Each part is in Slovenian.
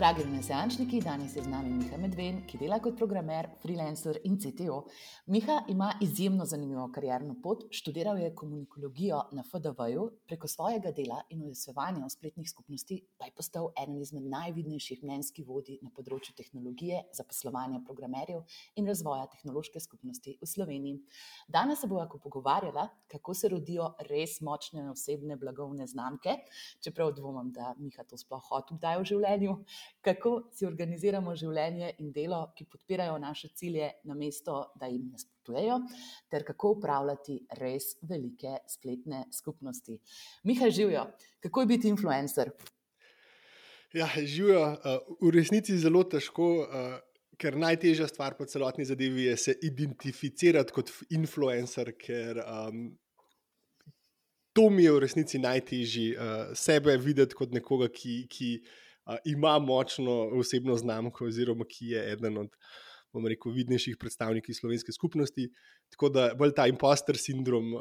Dragi renesančniki, danes je z nami Miha Medven, ki dela kot programer, freelancer in CTO. Miha ima izjemno zanimivo karierno pot, študiral je komunikologijo na FDV-ju, preko svojega dela in udejstvovanja v spletnih skupnosti pa je postal eden izmed najvidnejših mnenjskih vodij na področju tehnologije, zaposlovanja programerjev in razvoja tehnološke skupnosti v Sloveniji. Danes se bova pogovarjala, kako se rodijo res močne osebne blagovne znamke, čeprav dvomim, da Miha to sploh hotel kdaj v življenju. Kako si organiziramo življenje in delo, ki podpirajo naše cilje, namesto da jim nasprotujejo, ter kako upravljati res velike spletne skupnosti. Miha, živijo, kako je biti influencer? Ja, živijo, v resnici zelo težko, ker najtežja stvar po celotni zadevi je se identificirati kot influencer, ker to mi je v resnici najtežji, sebe videti kot nekoga, ki ima močno osebno znamko oziroma ki je eden od, bom rekel, vidnejših predstavnikov slovenske skupnosti. Tako da bolj ta imposter sindrom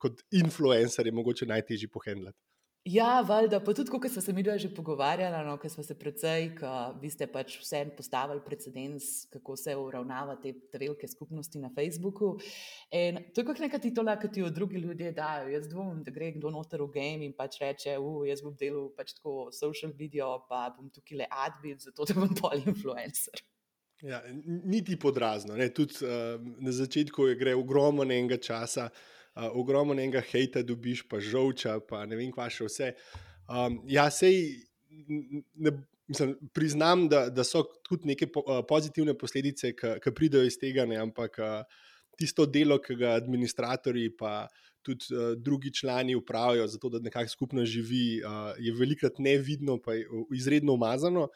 kot influencer je mogoče najtežji pohendlati. Ja, valjda, pa tudi, ko smo se midva že pogovarjala, ko smo se precej, vi ste pač vsem postavili precedens, kako se uravnava te velike skupnosti na Facebooku. In to je kot neka titola, ki ti jo drugi ljudje dajo. Jaz dvomim, da gre kdo noter v game in pač reče, jaz bom delal pač tako social video, pa bom tukaj le admin, zato da bom pol influencer. Ja, niti podrazno. Tudi na začetku gre ogromno enega časa, ogromno enega hejta dobiš, pa žolča, pa ne vem, kva še vse. Ja, mislim, priznam, da so tudi neke pozitivne posledice, ki pridejo iz tega, ampak tisto delo, ki ga administratorji pa tudi drugi člani upravijo, zato da nekako skupno živi, je velikrat nevidno, pa je izredno umazano.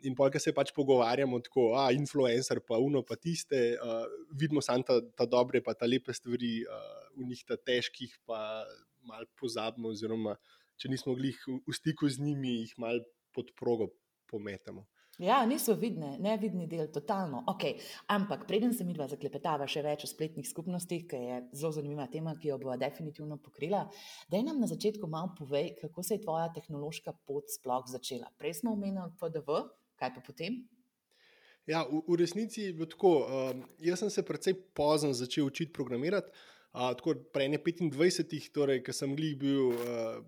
In pol, ko se pač pogovarjamo tako, influencer, pa uno, pa tiste, vidimo samo ta dobre, pa ta lepe stvari, v njih ta težkih, pa malo pozabimo, oziroma če nismo glih v stiku z njimi, jih malo pod progo pometamo. Ja, niso vidne, nevidni del, totalno. Okay. Ampak preden se midva zaklepetava še več o spletnih skupnostih, ki je zelo zanimiva tema, ki jo bova definitivno pokrila, daj nam na začetku malo povej, kako se je tvoja tehnološka pot sploh začela. Prej smo omenili FDV, kaj pa potem? Ja, v resnici je bilo tako. Jaz sem se precej pozno začel učiti programirati. Tako pri 25, torej, ko sem glih bil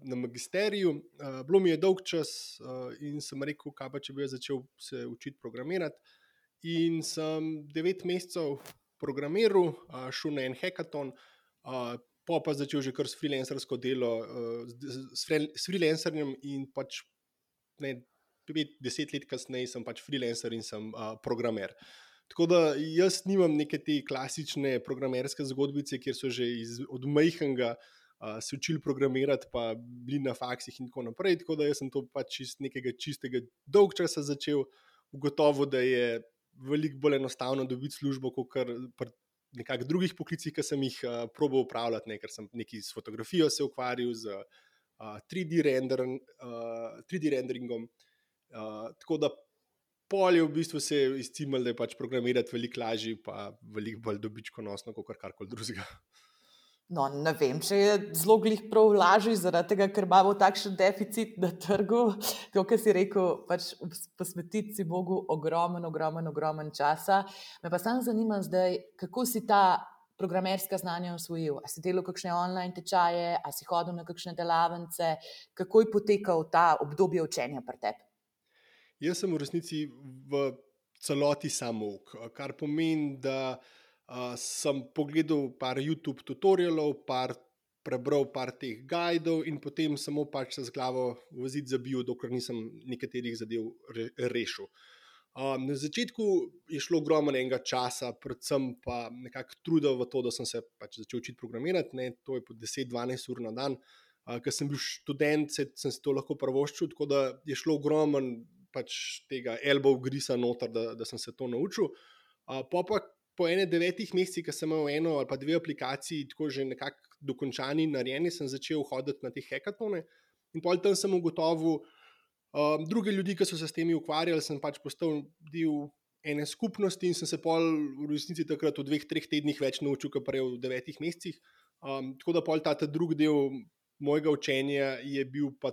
na magisteriju, bilo mi je dolg čas in sem rekel, kaj pa če bi jaz začel se učiti programirati. In sem 9 mesecev programiral, šel na en hackathon, pa začel že kar s freelancersko delo, s freelancerjem in pač 5-10 let kasneje sem pač freelancer in sem programer. Tako da jaz nimam neke te klasične programerske zgodbice, kjer so že od majhnega se učili programirati, pa bili na faksih in tako naprej. Tako da jaz sem to pač iz nekega čistega dolg časa začel, ugotovil, da je veliko bolj enostavno dobiti službo, kot pri nekakšnih drugih poklicih, ki sem jih probal upravljati, ker sem nekaj s fotografijo se ukvarjal, z 3D renderingom. Tako da pol je v bistvu se izcimalo, da je pač programirati veliko lažje, pa veliko bolj dobičkonosno, kot karkoli drugega. No, ne vem, če je zelo glih prav lažje, zaradi tega, ker imamo takšen deficit na trgu. Kot si rekel, pač posvetiti si Bogu ogromen časa. Me pa samo zanima zdaj, kako si ta programerska znanja osvojil. A si delal kakšne online tečaje, a si hodil na kakšne delavnice, kako je potekal ta obdobje učenja pri tebi? Jaz sem v resnici v celoti samouk, kar pomeni, da sem pogledal par YouTube tutorialov, prebral par teh guidov in potem samo pač se z glavo v zid zabil, dokler nisem nekaterih zadev rešil. Na začetku je šlo ogromno enega časa, predvsem pa nekako trudil v to, da sem se pač začel učiti programirati, to je po 10-12 ur na dan. Ker sem bil študent, sem si to lahko privoščil, tako da je šlo ogromno pač tega elbow grisa noter, da sem se to naučil. Po 9 mesecih, ko sem imel eno ali pa 2 aplikaciji tako že nekako dokončani, narejeni, sem začel hoditi na te hackathone in pol tam sem ugotovil druge ljudi, ki so se s temi ukvarjali, sem pač postal del ene skupnosti in sem se pol v resnici takrat v 2-3 tednih več naučil, kot prej v 9 mesecih. Tako da pol ta drugi del mojega učenja je bil pa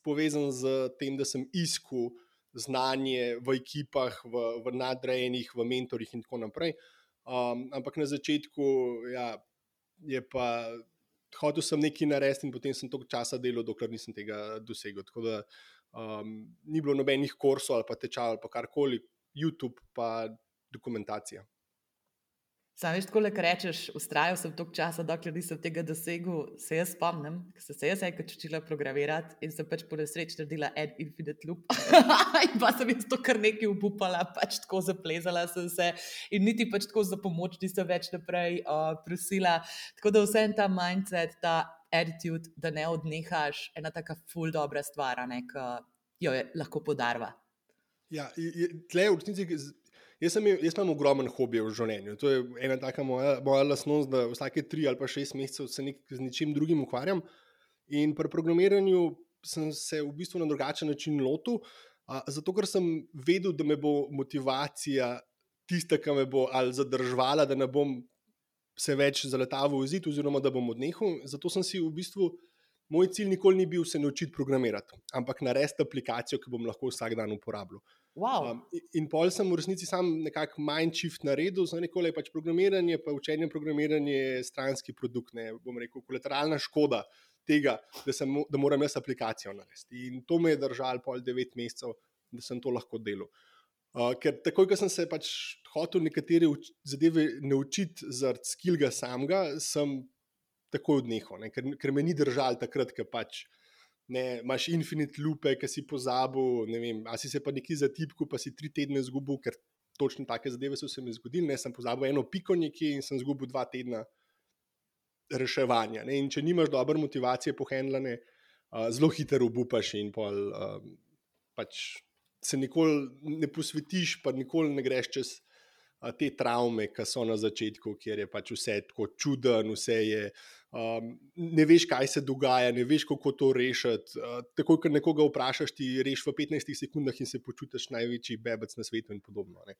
povezan z tem, da sem iskal znanje v ekipah, v nadrejenih, v mentorjih in tako naprej. Ampak na začetku je pa hotel sem nekaj narediti in potem sem toliko časa delal, dokler nisem tega dosegel. Tako da ni bilo nobenih kursov ali pa tečajev ali pa karkoli, YouTube pa dokumentacija. Sam veš, tako le rečeš, ustrajal sem toliko časa, dokler nisem tega dosegel. Se jaz spomnim, ker sem se jaz enkrat učila programirati in sem pač po nesreči naredila en infinite loop. In pa sem jaz to kar nekaj obupala, pač tako zaplezala sem se in niti pač tako za pomoč nisem več naprej prosila. Tako da vse ta mindset, ta attitude, da ne odnehaš, ena taka ful dobra stvar, ki jo je lahko podarva. Ja, tle v resnici... Jaz imam ogromen hobi v življenju. To je ena taka moja lastnost, da vsake 3 ali pa 6 mesecev se z ničim drugim ukvarjam. In pri programiranju sem se v bistvu na drugačen način lotil, zato ker sem vedel, da me bo motivacija tista, ki me bo ali zadržvala, da ne bom se več zaletaval v zid oziroma da bom odnehal. Zato sem si v bistvu, moj cilj nikoli ni bil se naučiti programirati, ampak narediti aplikacijo, ki bom lahko vsak dan uporabljal. Wow. In pol sem v resnici sam nekako mind shift naredil, za nekole pač programiranje, pa učenje programiranje je stranski produkt, ne, bom rekel, kolateralna škoda tega, da moram jaz aplikacijo narediti. In to me je držalo pol 9 mesecev, da sem to lahko delal. Ker takoj, ko sem se pač hotel nekatere zadeve naučiti zaradi skillga samega, sem takoj odnehal, ne, ker me ni držalo takrat, ker pač ne, imaš infinite loope, ki si pozabil, ne vem, a si se pa nekaj zatipkal, pa si 3 tedne izgubil, ker točno take zadeve so se mi zgodile, ne, sem pozabil eno piko nekje in sem izgubil 2 tedna reševanja, ne, in če nimaš dobre motivacije pohendlane, zelo hitro obupaš in pol pač se nikoli ne posvetiš, pa nikoli ne greš čez te travme, ki so na začetku, kjer je pač vse tako čuden, vse je, ne veš, kaj se dogaja, ne veš, kako to rešiti. Takoj, ko nekoga vprašaš, ti rešiš v 15 sekundah in se počutiš največji bebec na svetu in podobno. Ne.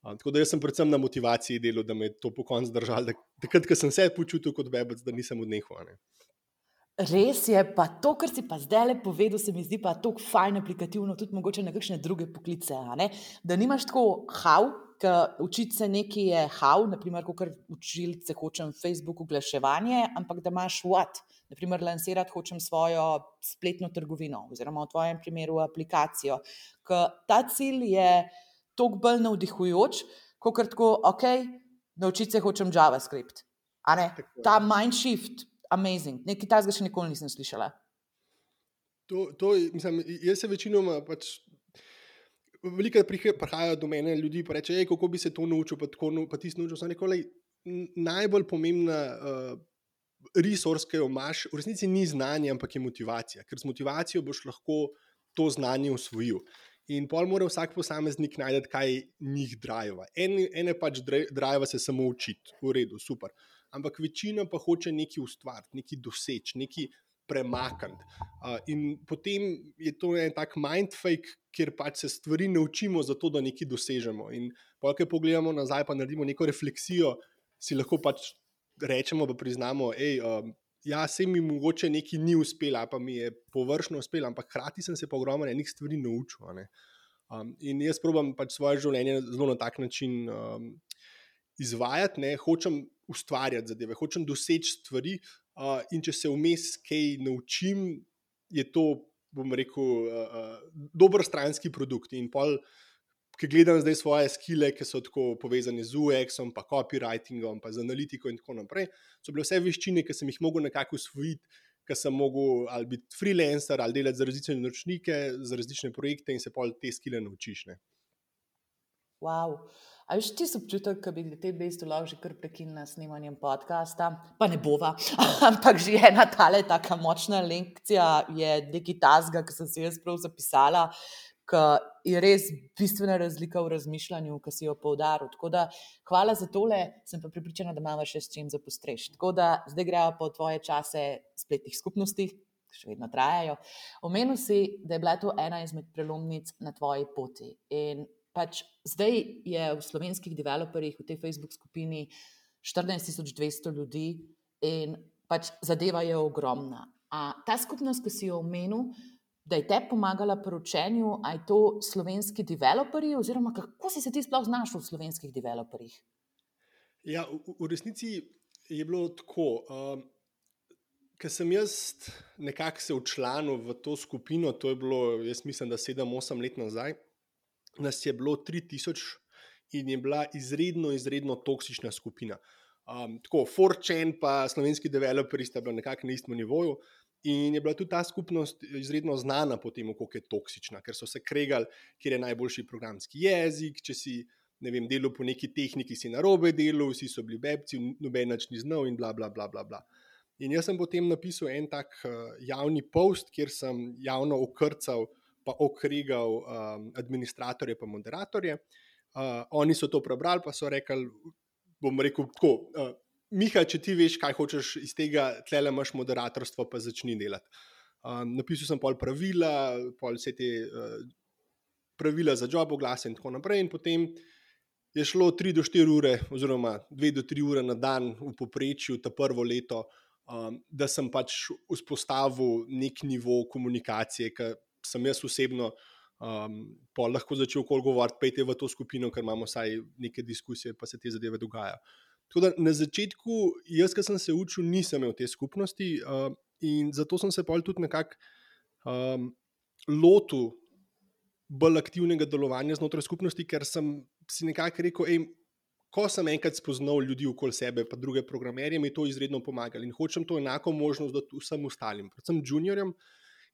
Tako da jaz sem predvsem na motivaciji delal, da me je to po koncu držalo, takrat, ko sem se počutil kot bebec, da nisem odnehal. Ne. Res je, pa to, kar si pa zdaj le povedal, se mi zdi pa tako fajn aplikativno, tudi mogoče na kakšne druge poklice, da nimaš tako how, ker učiti se nekaj je how, naprimer, kot učiti se hočem Facebook oglaševanje, ampak da imaš what, naprimer, lansirati hočem svojo spletno trgovino oziroma v tvojem primeru aplikacijo, ker ta cilj je toliko bolj navdihujoč, kot tako, ok, naučiti se hočem JavaScript, ta mind shift, amazing. Nekaj takega še nikoli nisem slišala. Mislim, jaz se večinoma pač velikokrat prihajajo do mene ljudi pa reče, kako bi se to naučil, pa ti si naučil. So nekoli najbolj pomembna resource, ki jo imaš, v resnici ni znanje, ampak je motivacija. Ker z motivacijo boš lahko to znanje usvojil. In pol mora vsak posameznik najti, kaj njih drive. Ene pač drive se samo učiti, v redu, super. Ampak večina pa hoče nekaj ustvariti, nekaj doseči, nekaj premakniti. In potem je to en tak mindfake, kjer pač se stvari naučimo zato, da nekaj dosežemo. In pol, ko pogledamo nazaj, pa naredimo neko refleksijo, si lahko pač rečemo, pa priznamo, ja, se mi mogoče nekaj ni uspelo, pa mi je površno uspelo, ampak hkrati sem se pa ogromno enih stvari naučil. In jaz probam pač svoje življenje zelo na tak način izvajati, ne, hočem ustvarjati zadeve, hočem doseči stvari, in če se vmes kaj naučim, je to, bom rekel, dober stranski produkt. In pol, ki gledam zdaj svoje skille, ki so tako povezane z UX-om, pa copywritingom, pa z analitiko in tako naprej, so bile vse veščine, ki sem jih mogel nekako usvojiti, ki sem mogel ali biti freelancer, ali delati za različne naročnike, za različne projekte in se pol te skille naučiš. Ne. Wow. A veš, ti so občutek, da bi te bestu lahko že kar prekinila s snemanjem podcasta, pa ne bova, ampak že ena tale taka močna lekcija je nekaj tazga, ki sem si jaz prav zapisala, ki je res bistvena razlika v razmišljanju, ki si jo poudaril. Tako da hvala za tole, sem pa prepričana, da imamo še s čim zapostrešiti. Tako da zdaj grejo po tvoje čase spletnih skupnosti, še vedno trajajo. Omenil si, da je bila to ena izmed prelomnic na tvoji poti in pač zdaj je v slovenskih developerjih v tej Facebook skupini 14.200 ljudi in pač zadeva je ogromna. A ta skupnost, ki si jo omenil, da je te pomagala pri učenju, a je to slovenski developerji, oziroma kako si se ti sploh znašel v slovenskih developerjih? Ja, v resnici je bilo tako. Ker sem jaz nekako se včlanil v to skupino, to je bilo, jaz mislim, da 7-8 let nazaj, nas je bilo 3000 in je bila izredno toksična skupina. Tako, 4chan pa slovenski developerji sta bila nekako na istem nivoju. In je bila tudi ta skupnost izredno znana po tem, kako je toksična, ker so se kregali, kjer je najboljši programski jezik. Če si, ne vem, delal po neki tehniki, si narobe delal, vsi so bili bebci, noben nič ni znal in bla, bla, bla, bla, bla. In jaz sem potem napisal en tak javni post, kjer sem javno okrcal pa okregal administratorje pa moderatorje. Oni so to prebrali, pa so rekli, bom rekel tako, Miha, če ti veš, kaj hočeš iz tega, tlele imaš moderatorstvo, pa začni delati. Napisal sem pol pravila, pol vse te pravila za job oglase in tako naprej, in potem je šlo 3 do 4 ure, oziroma 2 do 3 ure na dan v povprečju ta prvo leto, da sem pač vzpostavil nek nivo komunikacije, ki sem jaz osebno pa lahko začel okoli govoriti, pejte v to skupino, ker imamo vsaj neke diskusije, pa se te zadeve dogajajo. Tako da na začetku, jaz, ki sem se učil, nisem imel te skupnosti in zato sem se pol tudi nekako lotil bolj aktivnega delovanja znotraj skupnosti, ker sem si nekako rekel, ko sem enkrat spoznal ljudi okoli sebe, pa druge programerje, mi je to izredno pomagalo in hočem to enako možnost dati vsem ostalim, predvsem juniorjem.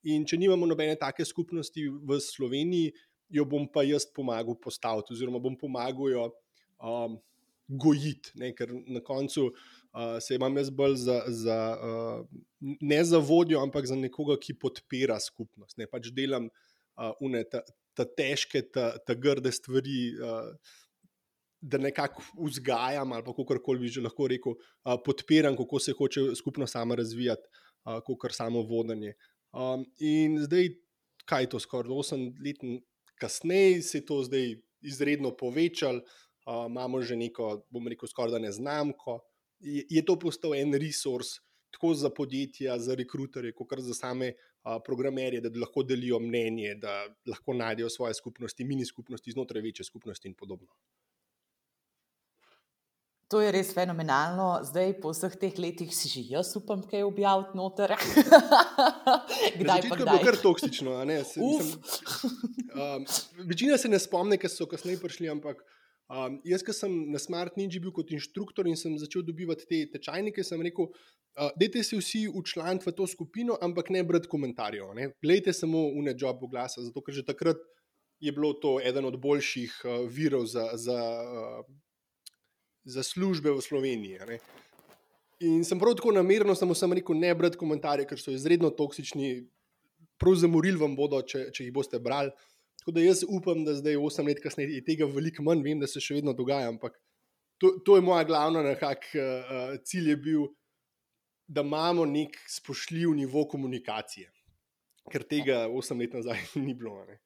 In če nimamo nobene take skupnosti v Sloveniji, jo bom pa jaz pomagal postaviti, oziroma bom pomagal jo gojiti, ne? Ker na koncu se imam jaz bolj ne za vodjo, ampak za nekoga, ki podpira skupnost. Ne? Pač delam ta težke, ta grde stvari, da nekako vzgajam, ali pa kakorkoli bi že lahko rekel, podpiram, kako se hoče skupnost sama razvijati, kakor samo vodenje. In zdaj, kaj je to, skoraj 8 let kasneje, se je to zdaj izredno povečalo, imamo že neko, bom rekel, skoraj da neznamko. Je to postal en resurs, tako za podjetja, za rekruterje, kot za same programerje, da lahko delijo mnenje, da lahko najdejo svoje skupnosti, mini skupnosti, znotraj večje skupnosti in podobno. To je res fenomenalno. Zdaj, po vseh teh letih, si že jaz upam, kaj objaviti noter. Kdaj pa kdaj? Je bilo kar toksično, a ne? Večina se ne spomne, ker so kasneje prišli, ampak jaz, ko sem na Smart Ninja bil kot inštruktor in sem začel dobivati te tečajnike, sem rekel, dajte se vsi včlaniti v to skupino, ampak ne brati komentarjev. Ne? Glejte samo une job oglase, zato ker že takrat je bilo to eden od boljših virov za službe v Sloveniji. Ne? In sem prav tako namerno sem rekel, ne brati komentarje, ker so izredno toksični, prav zamorili vam bodo, če jih boste brali. Tako da jaz upam, da zdaj 8 let kasneje je tega veliko manj, vem, da se še vedno dogaja, ampak to je moja glavna cilj je bil, da imamo nek spoštljiv nivo komunikacije, ker tega 8 let nazaj ni bilo. Ne?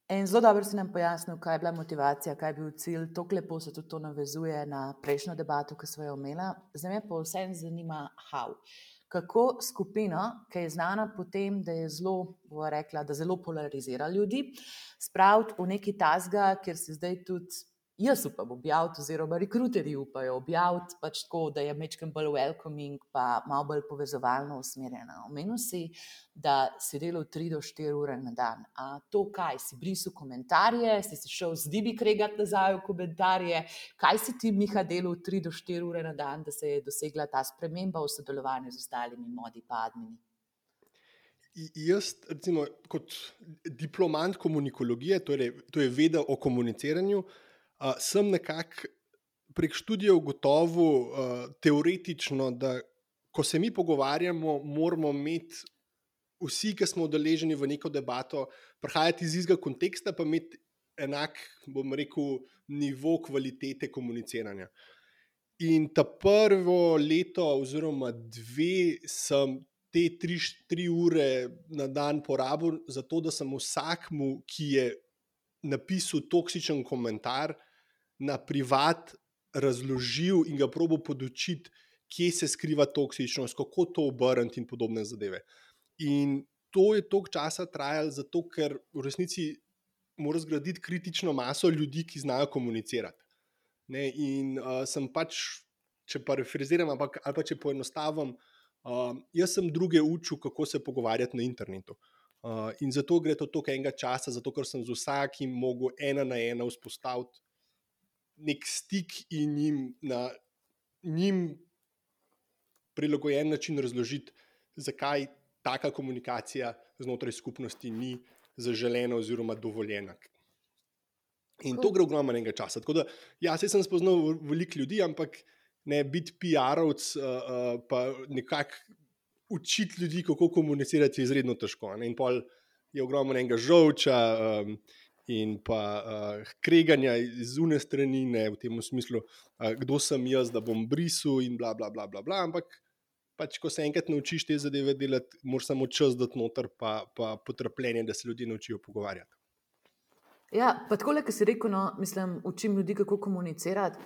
In zelo dobro si nam pojasnil, kaj je bila motivacija, kaj je bil cilj. Tako lepo se tudi to navezuje na prejšnjo debato, ki smo jo imeli. Zdaj me pa vsem zanima, kako skupino, ki je znana po tem, da je zelo, bova rekla, da zelo polarizira ljudi, spraviti v neki tasga, kjer se zdaj tudi jaz upam objaviti, oziroma rekruterji upajo objaviti, pač tako, da je majčkeno bolj welcoming, pa malo bolj povezovalno usmerjena. Omenil si, da si delal 3 do 4 ure na dan. A to kaj? Si brisal komentarje, si se šel z Dibi kregati nazaj v komentarje? Kaj si ti, Miha, delal 3 do 4 ure na dan, da se je dosegla ta sprememba v sodelovanju z ostalimi modi pa admini? Jaz, recimo, kot diplomant komunikologije, to je veda o komuniciranju, sem nekako prek študija ugotovil teoretično, da ko se mi pogovarjamo, moramo imeti vsi, ki smo udeleženi v neko debato, prihajati iz istega konteksta, pa imeti enak, bom rekel, nivo kvalitete komuniciranja. In ta prvo leto oziroma 2 sem te 3 ure na dan porabil za to, da sem vsakmu, ki je napisal toksičen komentar, na privat razložil in ga probal podučiti, kje se skriva toksičnost, kako to obrniti in podobne zadeve. In to je toliko časa trajalo, zato ker v resnici moraš zgraditi kritično maso ljudi, ki znajo komunicirati. Ne? In sem pač, če parafraziram, ali pa če poenostavim, jaz sem druge učil, kako se pogovarjati na internetu. In zato gre to toliko enega časa, zato ker sem z vsakim mogel ena na ena vzpostaviti nek stik in njim prilagojen način razložiti, zakaj taka komunikacija znotraj skupnosti ni zaželena oziroma dovoljena. In to gre ogromno enega časa. Tako da, ja, sem spoznal veliko ljudi, ampak ne biti PR-ovc, pa nekako učiti ljudi, kako komunicirati, je izredno težko. Ne? In pol je ogromno enega žolča in pa kreganja iz une strani, ne, v tem smislu, kdo sem jaz, da bom brisal in bla, bla, bla, bla, bla. Ampak pač, ko se enkrat naučiš te zadeve delati, moraš samo čas dati noter, pa potrpljenje, da se ljudje naučijo pogovarjati. Ja, pa tako, ki si rekel, no, mislim, učim ljudi, kako komunicirati.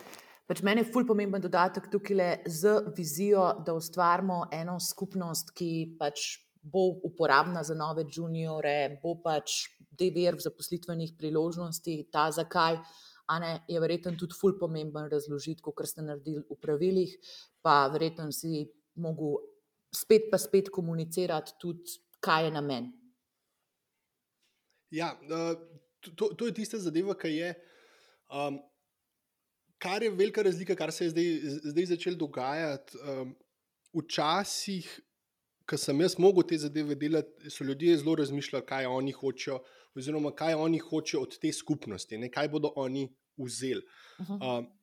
Pač meni je ful pomemben dodatek tukaj z vizijo, da ustvarimo eno skupnost, ki pač bo uporabna za nove juniore, bo pač vir zaposlitvenih priložnosti, ta zakaj, a ne, je verjetno tudi ful pomemben razložiti, kot ste naredili v pravilih, pa verjetno si mogel spet komunicirati tudi, kaj je namen. Ja, to je tista zadeva, ki je... Kar je velika razlika, kar se je zdaj začelo dogajati. Včasih, ko sem jaz mogel te zadeve delati, so ljudje zelo razmišljali, kaj oni hočejo, oziroma kaj oni hočejo od te skupnosti, ne, kaj bodo oni vzeli.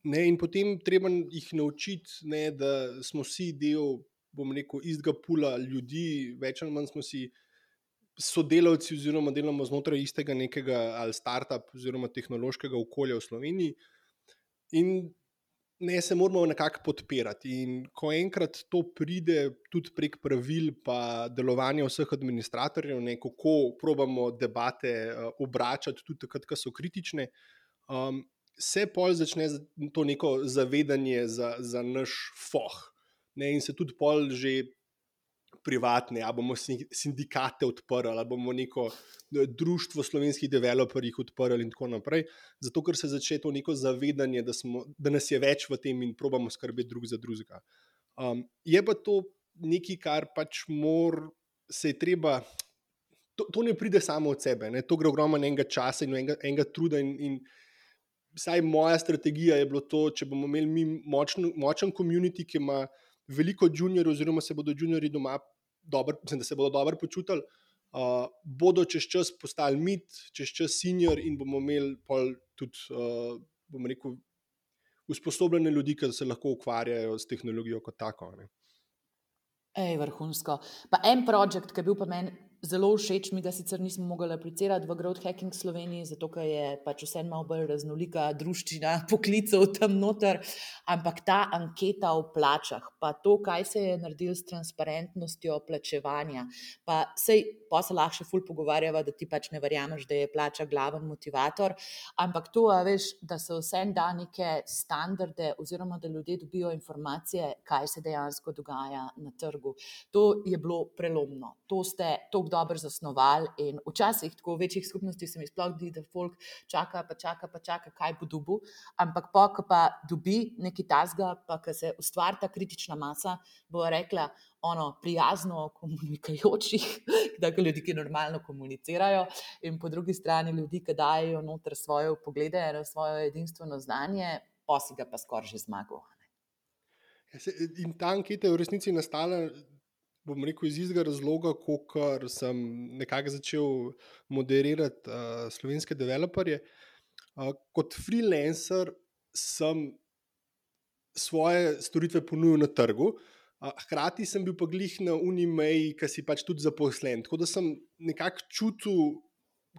Ne, in potem treba jih naučiti, ne, da smo vsi del, bom rekel, istega pula ljudi, več ali manj smo si sodelavci, oziroma delamo znotraj istega nekega ali startup oziroma tehnološkega okolja v Sloveniji. In ne, se moramo nekako podpirati. In ko enkrat to pride tudi prek pravil pa delovanja vseh administratorjev, ne, kako probamo debate obračati tudi takrat, ko so kritične, se pol začne to neko zavedanje za naš foh. Ne, in se tudi pol že privatne, ali bomo sindikate odprli, ali bomo neko društvo slovenskih developerjih odprli in tako naprej, zato ker se začne to neko zavedanje, da nas je več v tem in probamo skrbeti drug za drugega. Je pa to nekaj, kar pač se je treba, to ne pride samo od sebe, ne? To gre ogromno enega časa in enega truda in vsaj moja strategija je bilo to, če bomo imeli mi močen community, ki ima veliko juniorjev, oziroma se bodo juniorji doma da se bodo dobro počutili, bodo čez čas postali mid, čez čas senior in bomo imeli pol tudi, bom rekel, usposobljene ljudi, ki se lahko ukvarjajo s tehnologijo kot tako. Ne. Vrhunsko. Pa en projekt, ki je bil pa meni zelo všeč, mi ga sicer nismo mogli aplicirati v Growth Hacking Sloveniji, zato ker je pač vse malo bolj raznolika druščina poklicev tam noter, ampak ta anketa o plačah, pa to, kaj se je naredilo s transparentnostjo plačevanja, pa sej, pa se lahko še ful pogovarjava, da ti pač ne verjameš, da je plača glaven motivator, ampak to, veš, da se vse da neke standarde oziroma da ljudje dobijo informacije, kaj se dejansko dogaja na trgu. To je bilo prelomno. To ste toliko dobro zasnovali in včasih tako v večjih skupnostih se mi sploh zdi, da folk čaka, kaj bo dobil, ampak ko pa dobi nekaj tasga, pa ko se ustvari ta kritična masa, bo rekla prijazno komunikajočih, tako ljudi, ki normalno komunicirajo, in po drugi strani ljudi, ki dajo noter svoje poglede, svoje edinstveno znanje, pa si ga pa skoraj že zmagal. In ta anketa je v resnici nastala, bom rekel, iz istega razloga, ker sem nekako začel moderirati slovenske developerje. Kot freelancer sem svoje storitve ponudil na trgu, hkrati sem bil pa glih na Unimeji, ki si pač tudi zaposlen. Tako da sem nekako čutil,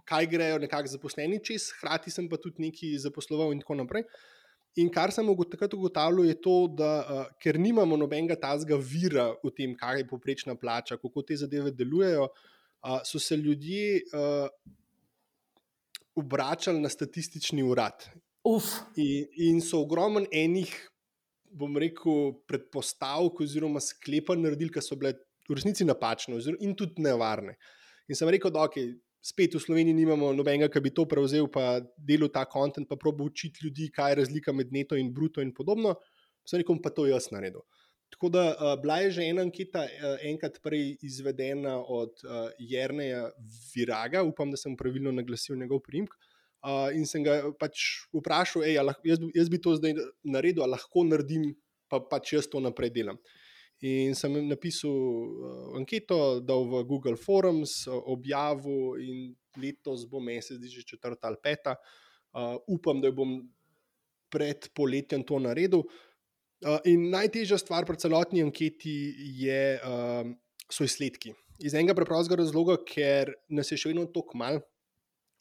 kaj grejo nekako zaposleni čez, hkrati sem pa tudi nekaj zaposloval in tako naprej. In kar sem takrat ugotavljal je to, da ker nimamo nobenega tazga vira v tem, kaj je povprečna plača, kako te zadeve delujejo, so se ljudje obračali na statistični urad. In so ogromno enih, bom rekel, predpostavk oziroma sklepanj naredili, ki so bile v resnici napačne in tudi nevarne. In sem rekel, da okay, spet v Sloveniji nimamo nobenega, ki bi to prevzel, pa delal ta kontent, pa probo učiti ljudi, kaj je razlika med neto in bruto in podobno. Sem rekel, pa to jaz naredil. Tako da bila je že ena anketa enkrat prej izvedena od Jerneja Viraga, upam, da sem pravilno naglasil njegov priimek, in sem ga pač vprašal, jaz bi to zdaj naredil, ali lahko naredim, pa pač jaz to naprej delam. In sem napisal anketo, dal v Google Forums, objavil in letos bo mesec, že 4. ali 5. Upam, da bom pred poletjem to naredil. In najtežja stvar pri celotni anketi so izsledki. Iz enega preprostega razloga, ker nas je še vedno toliko malo.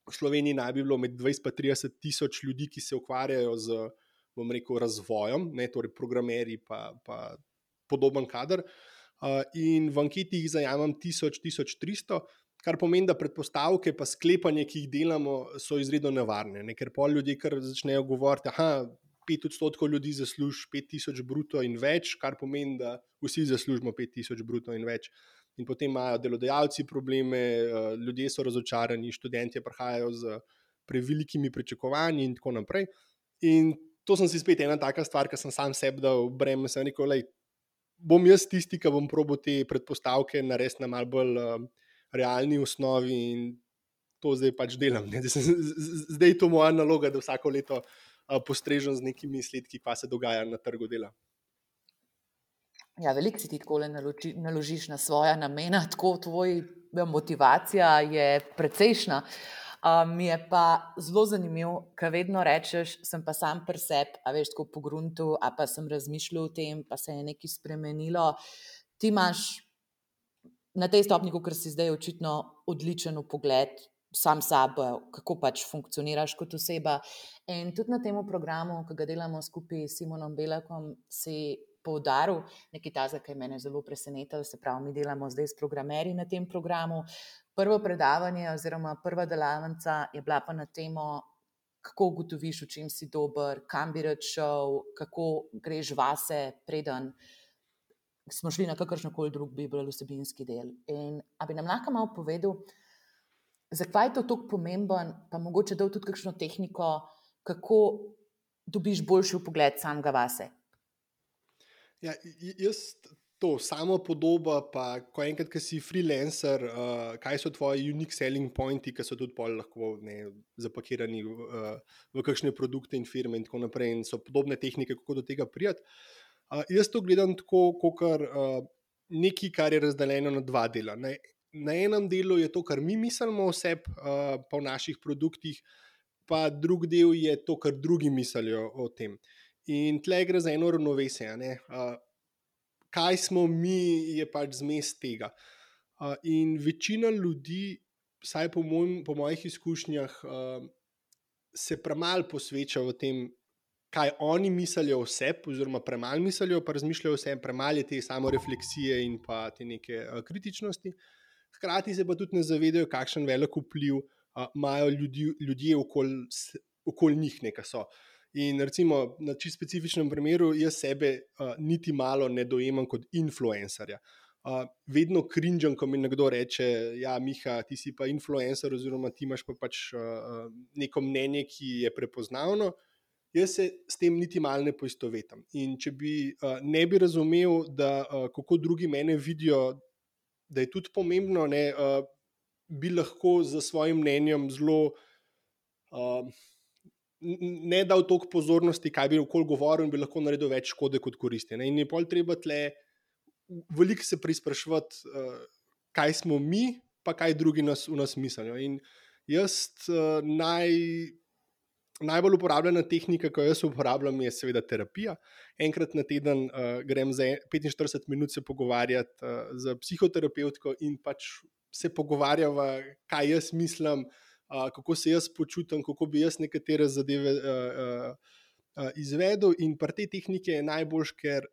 V Sloveniji naj bi bilo med 20 in 30 tisoč ljudi, ki se ukvarjajo z, bom rekel, razvojem, ne, torej programerji pa podoben kader. In v anketi jih zajamem 1000-1300, kar pomeni, da predpostavke pa sklepanje, ki jih delamo, so izredno nevarne, ne, ker pol ljudje kar začnejo govoriti, 5% ljudi zasluži 5000 bruto in več, kar pomeni, da vsi zaslužimo 5000 bruto in več. In potem imajo delodajalci probleme, ljudje so razočarani, študentje prihajajo z prevelikimi pričakovanji in tako naprej. In to sem si spet ena taka stvar, ki sem sam sebi dal breme, sem rekel, bom jaz tisti, ki bom probal te predpostavke narediti na malo bolj realni osnovi in to zdaj pač delam. Zdaj je to moja naloga, da vsako leto postrežem z nekimi izsledki, kaj se dogaja na trgu dela. Ja, veliko si ti tako naložiš na svoja namena, tako tvoja motivacija je precejšna. Mi je pa zelo zanimivo, ker vedno rečeš, sem pa sam pri sebi, a veš, tako po gruntu, a pa sem razmišljal o tem, pa se je nekaj spremenilo. Ti imaš na tej stopni, ker si zdaj očitno odličen vpogled sam sabo, kako pač funkcioniraš kot oseba. In tudi na tem programu, ki ga delamo skupaj s Simonom Belakom, si poudaril nekaj tazga, ki je mene zelo presenetilo, se pravi, mi delamo zdaj s programerji na tem programu. Prvo predavanje oziroma prva delavnica je bila pa na temo, kako ugotoviš, v čem si dober, kam bi rad šel, kako greš vase, preden smo šli na kakršnokoli drug bi bil vsebinski del. In a bi nam lahko malo povedal, zakaj je to tako pomemben, pa mogoče dal tudi kakšno tehniko, kako dobiš boljši vpogled samega vase? Ja, jaz to samo podoba, pa ko enkrat, ki si freelancer, kaj so tvoji unique selling pointi, ki so tudi pol lahko zapakirani v kakšne produkte in firme in tako naprej, in so podobne tehnike, kako do tega priti. Jaz to gledam tako, kot nekaj, kar je razdeljeno na dva dela. Na enem delu je to, kar mi mislimo o sebi, pa v naših produktih, pa drug del je to, kar drugi mislijo o tem. In tle gre za eno ravnovesje. Kaj smo mi, je pač zmes tega. In večina ljudi, vsaj po mojih izkušnjah, se premalo posveča v tem, kaj oni mislijo o sebi, oziroma premalo mislijo, pa razmišljajo o sebi, premalo je te samorefleksije in pa te neke kritičnosti. Hkrati se pa tudi ne zavedajo, kakšen velik vpliv imajo ljudje okoli njih, nekaj so. In recimo na čisto specifičnem primeru, jaz sebe niti malo ne dojemam kot influencerja. Vedno cringeam, ko mi nekdo reče, ja, Miha, ti si pa influencer, oziroma ti imaš pa pač neko mnenje, ki je prepoznavno. Jaz se s tem niti malo ne poistovetim. In če ne bi razumel, da kako drugi mene vidijo, da je tudi pomembno, bi lahko za svojim mnenjem zelo ne dal toliko pozornosti, kaj bi okoli govoril, in bi lahko naredil več škode kot koristi. In je pol treba tle veliko se preizpraševati, kaj smo mi, pa kaj drugi v nas mislijo. In jaz najbolj uporabljena tehnika, ki jo jaz uporabljam, je seveda terapija. Enkrat na teden grem za 45 minut se pogovarjati z psihoterapevtko in pač se pogovarjava, kaj jaz mislim, kako se jaz počutim, kako bi jaz nekatere zadeve izvedel. In pri tej tehniki je najboljš, ker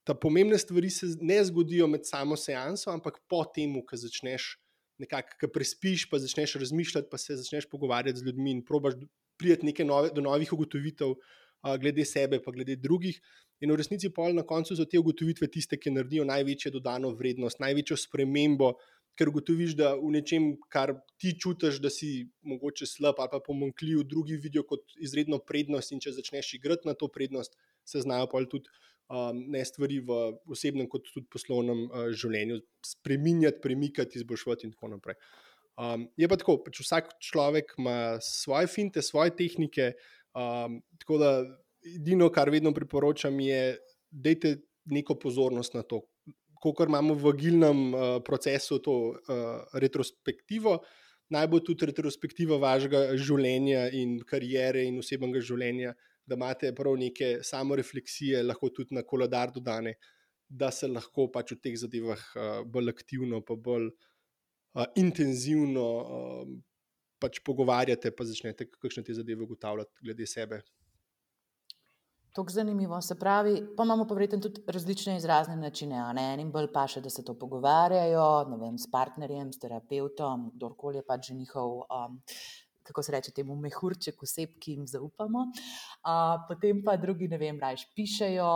ta pomembne stvari se ne zgodijo med samo seanso, ampak po tem, ko začneš nekako, ko prespiš, pa začneš razmišljati, pa se začneš pogovarjati z ljudmi in probaš priti do novih ugotovitev glede sebe, pa glede drugih. In v resnici pol na koncu so te ugotovitve tiste, ki naredijo največjo dodano vrednost, največjo spremembo, ker ugotoviš, da v nečem, kar ti čutiš, da si mogoče slab ali pa pomanjkljiv, drugi vidijo kot izredno prednost, in če začneš igrati na to prednost, se znajo pa tudi ne stvari v osebnem, kot tudi poslovnem življenju spreminjati, premikati, izboljšati in tako naprej. Je pa tako, pač vsak človek ima svoje finte, svoje tehnike, tako da edino, kar vedno priporočam, je, dajte neko pozornost na to. Kolikor imamo v agilnem procesu to retrospektivo, naj bo tudi retrospektiva vašega življenja in kariere in osebnega življenja, da imate prav neke samorefleksije, lahko tudi na koledar dodane, da se lahko pač v teh zadevah bolj aktivno pa bolj intenzivno pač pogovarjate, pa začnete kakšne te zadeve ugotavljati glede sebe. Tako zanimivo. Se pravi, pa imamo pa verjetno tudi različne izrazne načine. Enim bolj paše, da se to pogovarjajo, ne vem, s partnerjem, s terapeutom, kdorkoli je pač že njihov, kako se reče temu, mehurček oseb, ki jim zaupamo. Potem pa drugi, ne vem, rajš pišejo,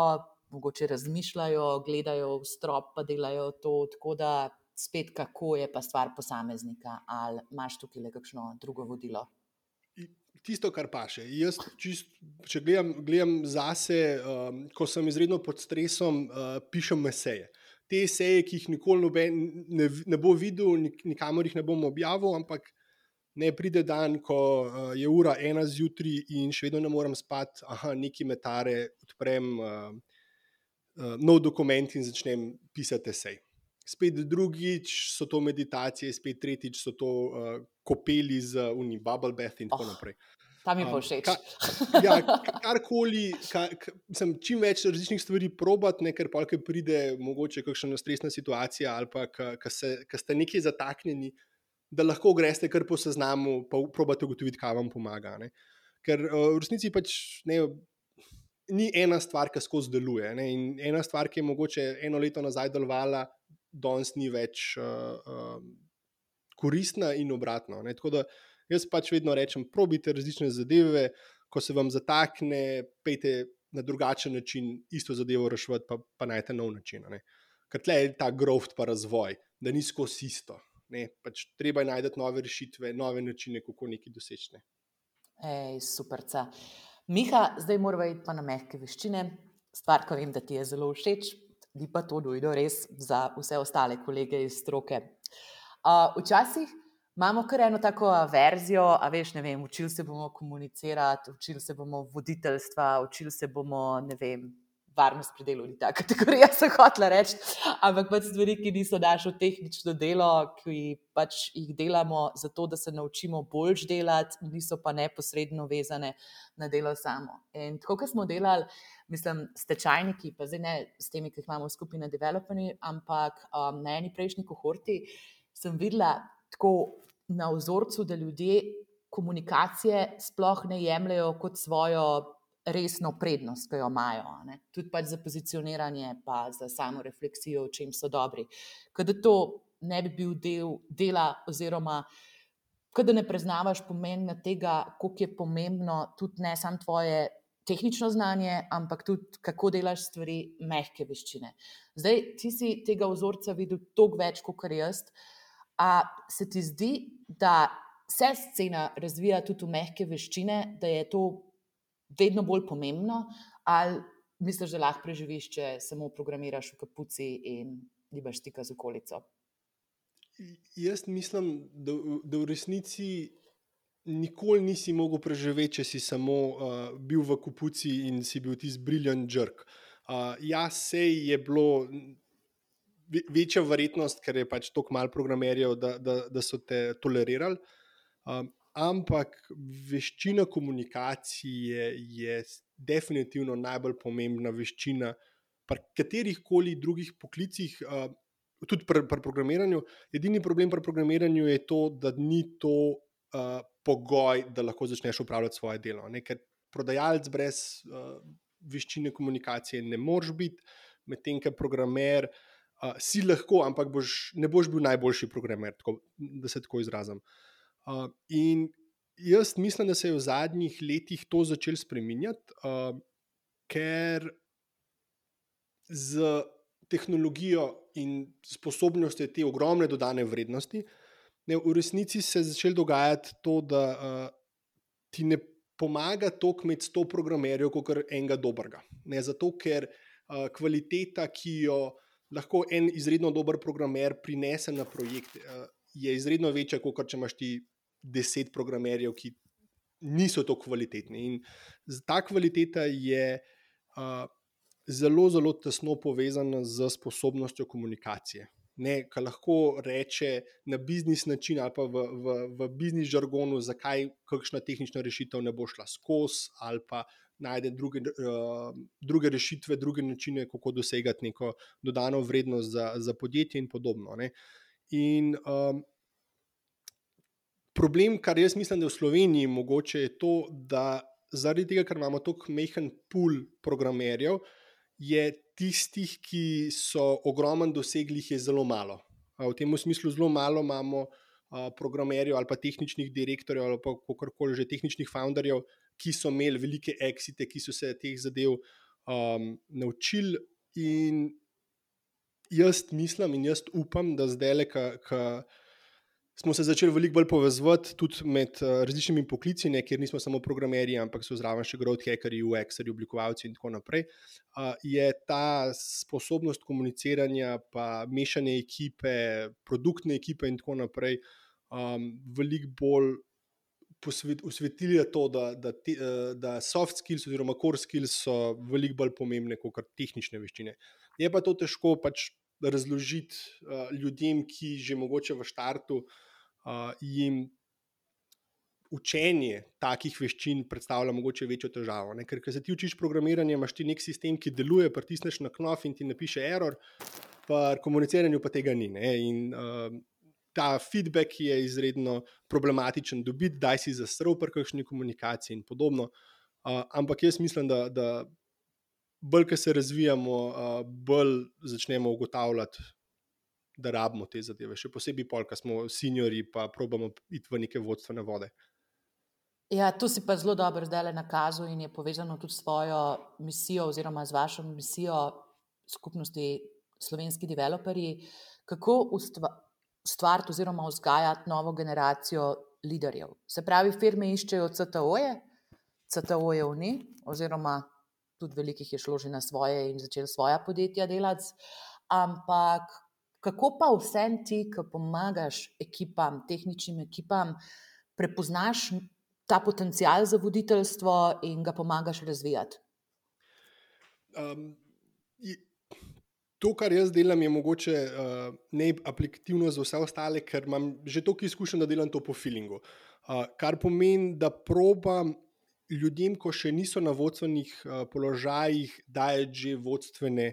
mogoče razmišljajo, gledajo v strop, pa delajo to, tako da spet kako je pa stvar posameznika, ali imaš tukaj le kakšno drugo vodilo? Tisto, kar paše. Jaz, če gledam zase, ko sem izredno pod stresom, pišem eseje. Te eseje, ki jih nikoli noben ne bo videl, nikamor jih ne bom objavil, ampak ne pride dan, ko je ura 1 zjutraj in še vedno ne morem spati, nekaj me tare, odprem nov dokument in začnem pisati esej. Spet drugič so to meditacije, spet tretjič so to kopeli z bubble bath in tako naprej. Ta mi pa všeč. Karkoli, čim več različnih stvari probati, ker polk pride mogoče kakšna stresna situacija ali pa ko ste nekaj zataknjeni, da lahko greste kar po seznamu, pa probate ugotoviti, kaj vam pomaga. Ne? Ker v resnici pač ni ena stvar, ki skozi deluje. Ne? In ena stvar, ki je mogoče 1 leto nazaj delovala, danes ni več koristna in obratno. Ne? Tako da jaz pač vedno rečem, probite različne zadeve, ko se vam zatakne, pejte na drugačen način isto zadevo reševati, pa najte nov način. Ne? Ker tle je ta growth pa razvoj, da ni skozi isto. Ne? Pač treba je najti nove rešitve, nove načine, kako nekaj doseči. Superca. Miha, zdaj moramo iti pa na mehke veščine. Stvar, ko vem, da ti je zelo všeč, ni pa to nujno res za vse ostale kolege iz stroke. Včasih imamo kar eno tako verzijo, ne vem, učili se bomo komunicirati, učili se bomo voditeljstva, učili se bomo, ne vem, varnost pri delu ni ta kategorija, sem hotela reči, ampak pač stvari, ki niso naše tehnično delo, ki pač jih delamo zato, da se naučimo boljš delati, niso pa neposredno vezane na delo samo. In tako, kot smo delali, mislim, stečajniki, pa zdaj ne s temi, ki jih imamo skupaj na developerni, ampak na eni prejšnji kohorti sem videla tako na vzorcu, da ljudje komunikacije sploh ne jemljajo kot svojo resno prednost, ki jo imajo. Ne? Tudi pač za pozicioniranje, pa za samo refleksijo, v čem so dobri. Kada to ne bi bil del dela, oziroma kada ne preznavaš pomena tega, koliko je pomembno tudi ne samo tvoje tehnično znanje, ampak tudi kako delaš stvari, mehke veščine. Zdaj, ti si tega vzorca videl toliko več, kot jaz. A se ti zdi, da se scena razvija tudi v mehke veščine, da je to vedno bolj pomembno, ali misliš, da lahko preživiš, če samo programiraš v kapuci in nimaš stika z okolico? Jaz mislim, da v resnici nikoli nisi mogel preživeti, če si samo bil v kapuci in si bil tisti brilliant jerk. Sej je bilo večja verjetnost, ker je pač toliko malo programerjev, da so te tolerirali. Ampak veščina komunikacije je definitivno najbolj pomembna veščina pri katerih koli drugih poklicih, tudi pri programiranju. Edini problem pri programiranju je to, da ni to pogoj, da lahko začneš opravljati svoje delo. Ker prodajalec brez veščine komunikacije ne moreš biti, medtem ko programer si lahko, ampak ne boš bil najboljši programer, da se tako izrazim. In jaz mislim, da se je v zadnjih letih to začelo spreminjati, ker z tehnologijo in sposobnostjo te ogromne dodane vrednosti, ne, v resnici se je začelo dogajati to, da ti ne pomaga toliko imeti 100 programerjev, kot enega dobrega. Ne, zato, ker kvaliteta, ki jo lahko en izredno dober programer prinese na projekt, je izredno večja, kot če imaš ti 10 programerjev, ki niso tako kvalitetni. In ta kvaliteta je zelo, zelo tesno povezana z sposobnostjo komunikacije. Ki lahko reče na biznis način ali pa v biznis žargonu, zakaj kakšna tehnična rešitev ne bo šla skozi, ali pa najde druge rešitve, druge načine, kako dosegati neko dodano vrednost za podjetje in podobno. Ne. In problem, kar jaz mislim, da je v Sloveniji mogoče, je to, da zaradi tega, ker imamo tako majhen pool programerjev, je tistih, ki so ogromen dosegli, je zelo malo. V tem smislu zelo malo imamo programerjev ali pa tehničnih direktorjev ali pa kakorkoli že tehničnih founderjev, ki so imeli velike exite, ki so se teh zadev naučili. In jaz mislim in jaz upam, da zdaj, ko smo se začeli veliko bolj povezovati tudi med različnimi poklici, kjer nismo samo programerji, ampak so zraven še growth hackerji, UX-erji, oblikovalci in tako naprej, je ta sposobnost komuniciranja, pa mešanje ekipe, produktne ekipe in tako naprej, veliko bolj osvetlili to, da soft skills oziroma core skills so veliko bolj pomembne kot tehnične veščine. Je pa to težko pač razložiti ljudem, ki že mogoče v štartu jim učenje takih veščin predstavlja mogoče večjo težavo. Ker se ti učiš programiranje, imaš ti nek sistem, ki deluje, pritisneš na knof in ti napiše error, pa komuniciranju pa tega ni. Ne? In ta feedback je izredno problematičen dobiti, daj si zasrl pri kakšni komunikaciji in podobno. Ampak jaz mislim, da bolj, ko se razvijamo, bolj začnemo ugotavljati, da rabimo te zadeve. Še posebej pol, ko smo seniorji, pa probamo iti v neke vodstvene vode. Ja, to si pa zelo dobro zdaj nakazal in je povezano tudi s svojo misijo oziroma z vašo misijo skupnosti Slovenski developerji. Kako ustvariti oziroma vzgajati novo generacijo liderjev? Se pravi, firme iščejo CTO-je, CTO-jev ni, oziroma tudi velikih je šlo že na svoje in začeli svoja podjetja delati, ampak kako pa vsem ti, ki pomagaš ekipam, tehničnim ekipam, prepoznaš ta potencial za voditeljstvo in ga pomagaš razvijati? To, kar jaz delam, je mogoče neaplikativno za vse ostale, ker imam že toliko izkušenj, da delam to po feelingu. Kar pomeni, da probam ljudem, ko še niso na vodstvenih položajih, dajati že vodstvene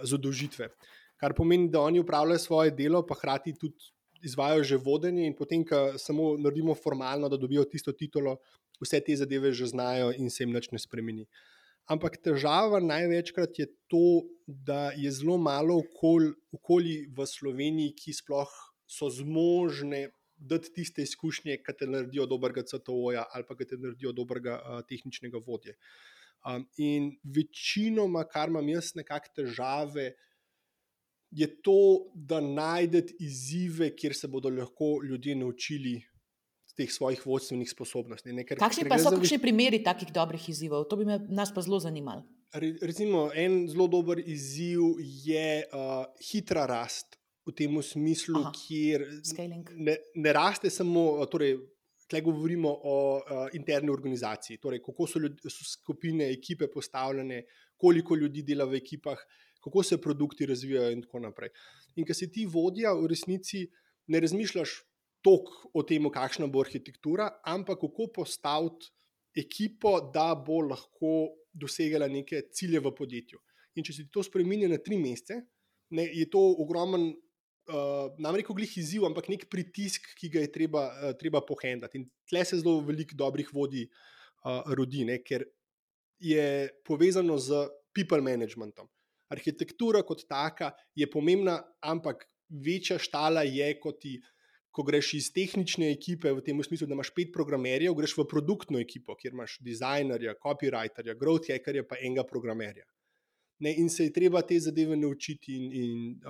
zadolžitve. Kar pomeni, da oni upravljajo svoje delo, pa hkrati tudi izvajajo že vodenje in potem, ko samo naredimo formalno, da dobijo tisto titulo, vse te zadeve že znajo in se jim nič ne spremeni. Ampak težava največkrat je to, da je zelo malo okolij v Sloveniji, ki sploh so zmožne dati tiste izkušnje, ki te naredijo dobrega CTO-ja ali pa ki te naredijo dobrega tehničnega vodje. In večinoma, kar imam jaz nekako težave, je to, da najdete izzive, kjer se bodo lahko ljudje naučili teh svojih vodstvenih sposobnosti. Kakšni pa so kakšni primeri takih dobrih izzivov? To bi nas pa zelo zanimalo. Recimo, en zelo dober izziv je hitra rast, v tem smislu, kjer ne raste samo, torej, tukaj govorimo o interni organizaciji, torej kako so skupine, ekipe postavljene, koliko ljudi dela v ekipah, kako se produkti razvijajo in tako naprej. In ko si ti vodja, v resnici ne razmišljaš toliko o tem, kakšna bo arhitektura, ampak kako postaviti ekipo, da bo lahko dosegala neke cilje v podjetju. In če se ti to spremeni na 3 mesece, je to ogromen, nam rekel glih izziv, ampak nek pritisk, ki ga je treba pohendati. In tle se zelo veliko dobrih vodij rodi, ker je povezano z people managementom. Arhitektura kot taka je pomembna, ampak večja štala je, ko greš iz tehnične ekipe, v tem smislu, da imaš 5 programerjev, greš v produktno ekipo, kjer imaš dizajnerja, copywriterja, growth hackerja, pa enega programerja. ne, in se je treba te zadeve naučiti in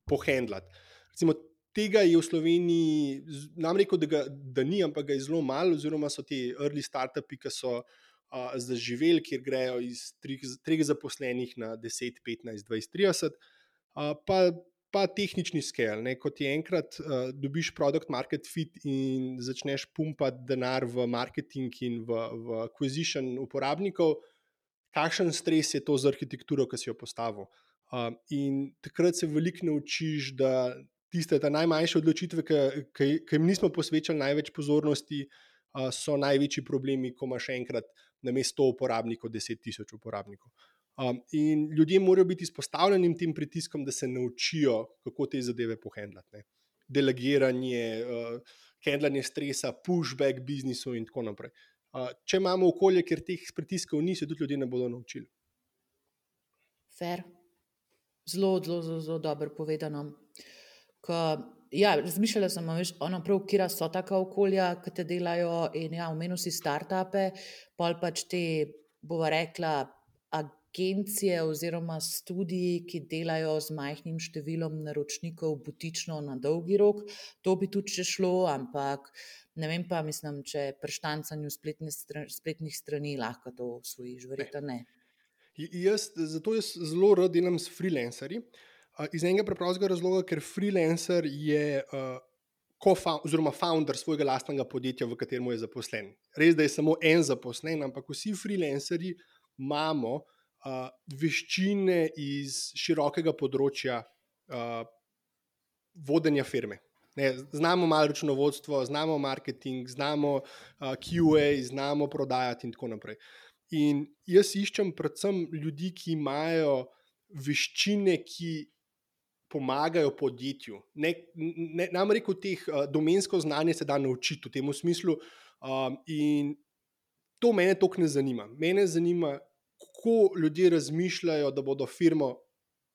pohendlati. Recimo, tega je v Sloveniji, nam rekel, da ni, ampak ga je zelo malo, oziroma so ti early startupi, ki so zaživeli, kjer grejo iz 3 zaposlenih na 10, 15, 20, 30, pa tehnični scale. Ne, kot je enkrat dobiš product market fit in začneš pumpati denar v marketing in v acquisition uporabnikov, kakšen stres je to za arhitekturo, ki si jo postavil. In takrat se veliko naučiš, da tiste najmanjše odločitve, ki jim nismo posvečali največ pozornosti, so največji problemi, ko imaš enkrat namesto 100 uporabnikov 10.000 uporabnikov. In ljudje morajo biti izpostavljeni tem pritiskom, da se naučijo, kako te zadeve pohendlati. Delegiranje, handlanje stresa, pushback biznisu in tako naprej. Če imamo okolje, kjer teh pritiskov ni, se tudi ljudje ne bodo naučili. Fair. Zelo, zelo, zelo, zelo dobro povedano. Ja, razmišljala sem, prav, kira so taka okolja, ki te delajo, in ja, omenil si startupe, pol pač te, bova rekla, agencije oziroma studiji, ki delajo z majhnim številom naročnikov butično na dolgi rok. To bi tudi še šlo, ampak ne vem pa, mislim, če pri štancanju spletnih strani lahko to osvojiš, verjetno ne. Zato jaz zelo rad delam s freelancerji, iz enega preprostega razloga, ker freelancer je founder svojega lastnega podjetja, v katerem je zaposlen. Res, da je samo en zaposlen, ampak vsi freelancerji imamo veščine iz širokega področja vodenja firme. Ne, znamo malo računovodstvo, znamo marketing, znamo QA, znamo prodajati in tako naprej. In jaz iščem predvsem ljudi, ki imajo veščine, ki pomagajo podjetju. Nam rekel, teh domensko znanje se da naučiti v tem smislu, in to mene toliko ne zanima. Mene zanima, kako ljudje razmišljajo, da bodo firmo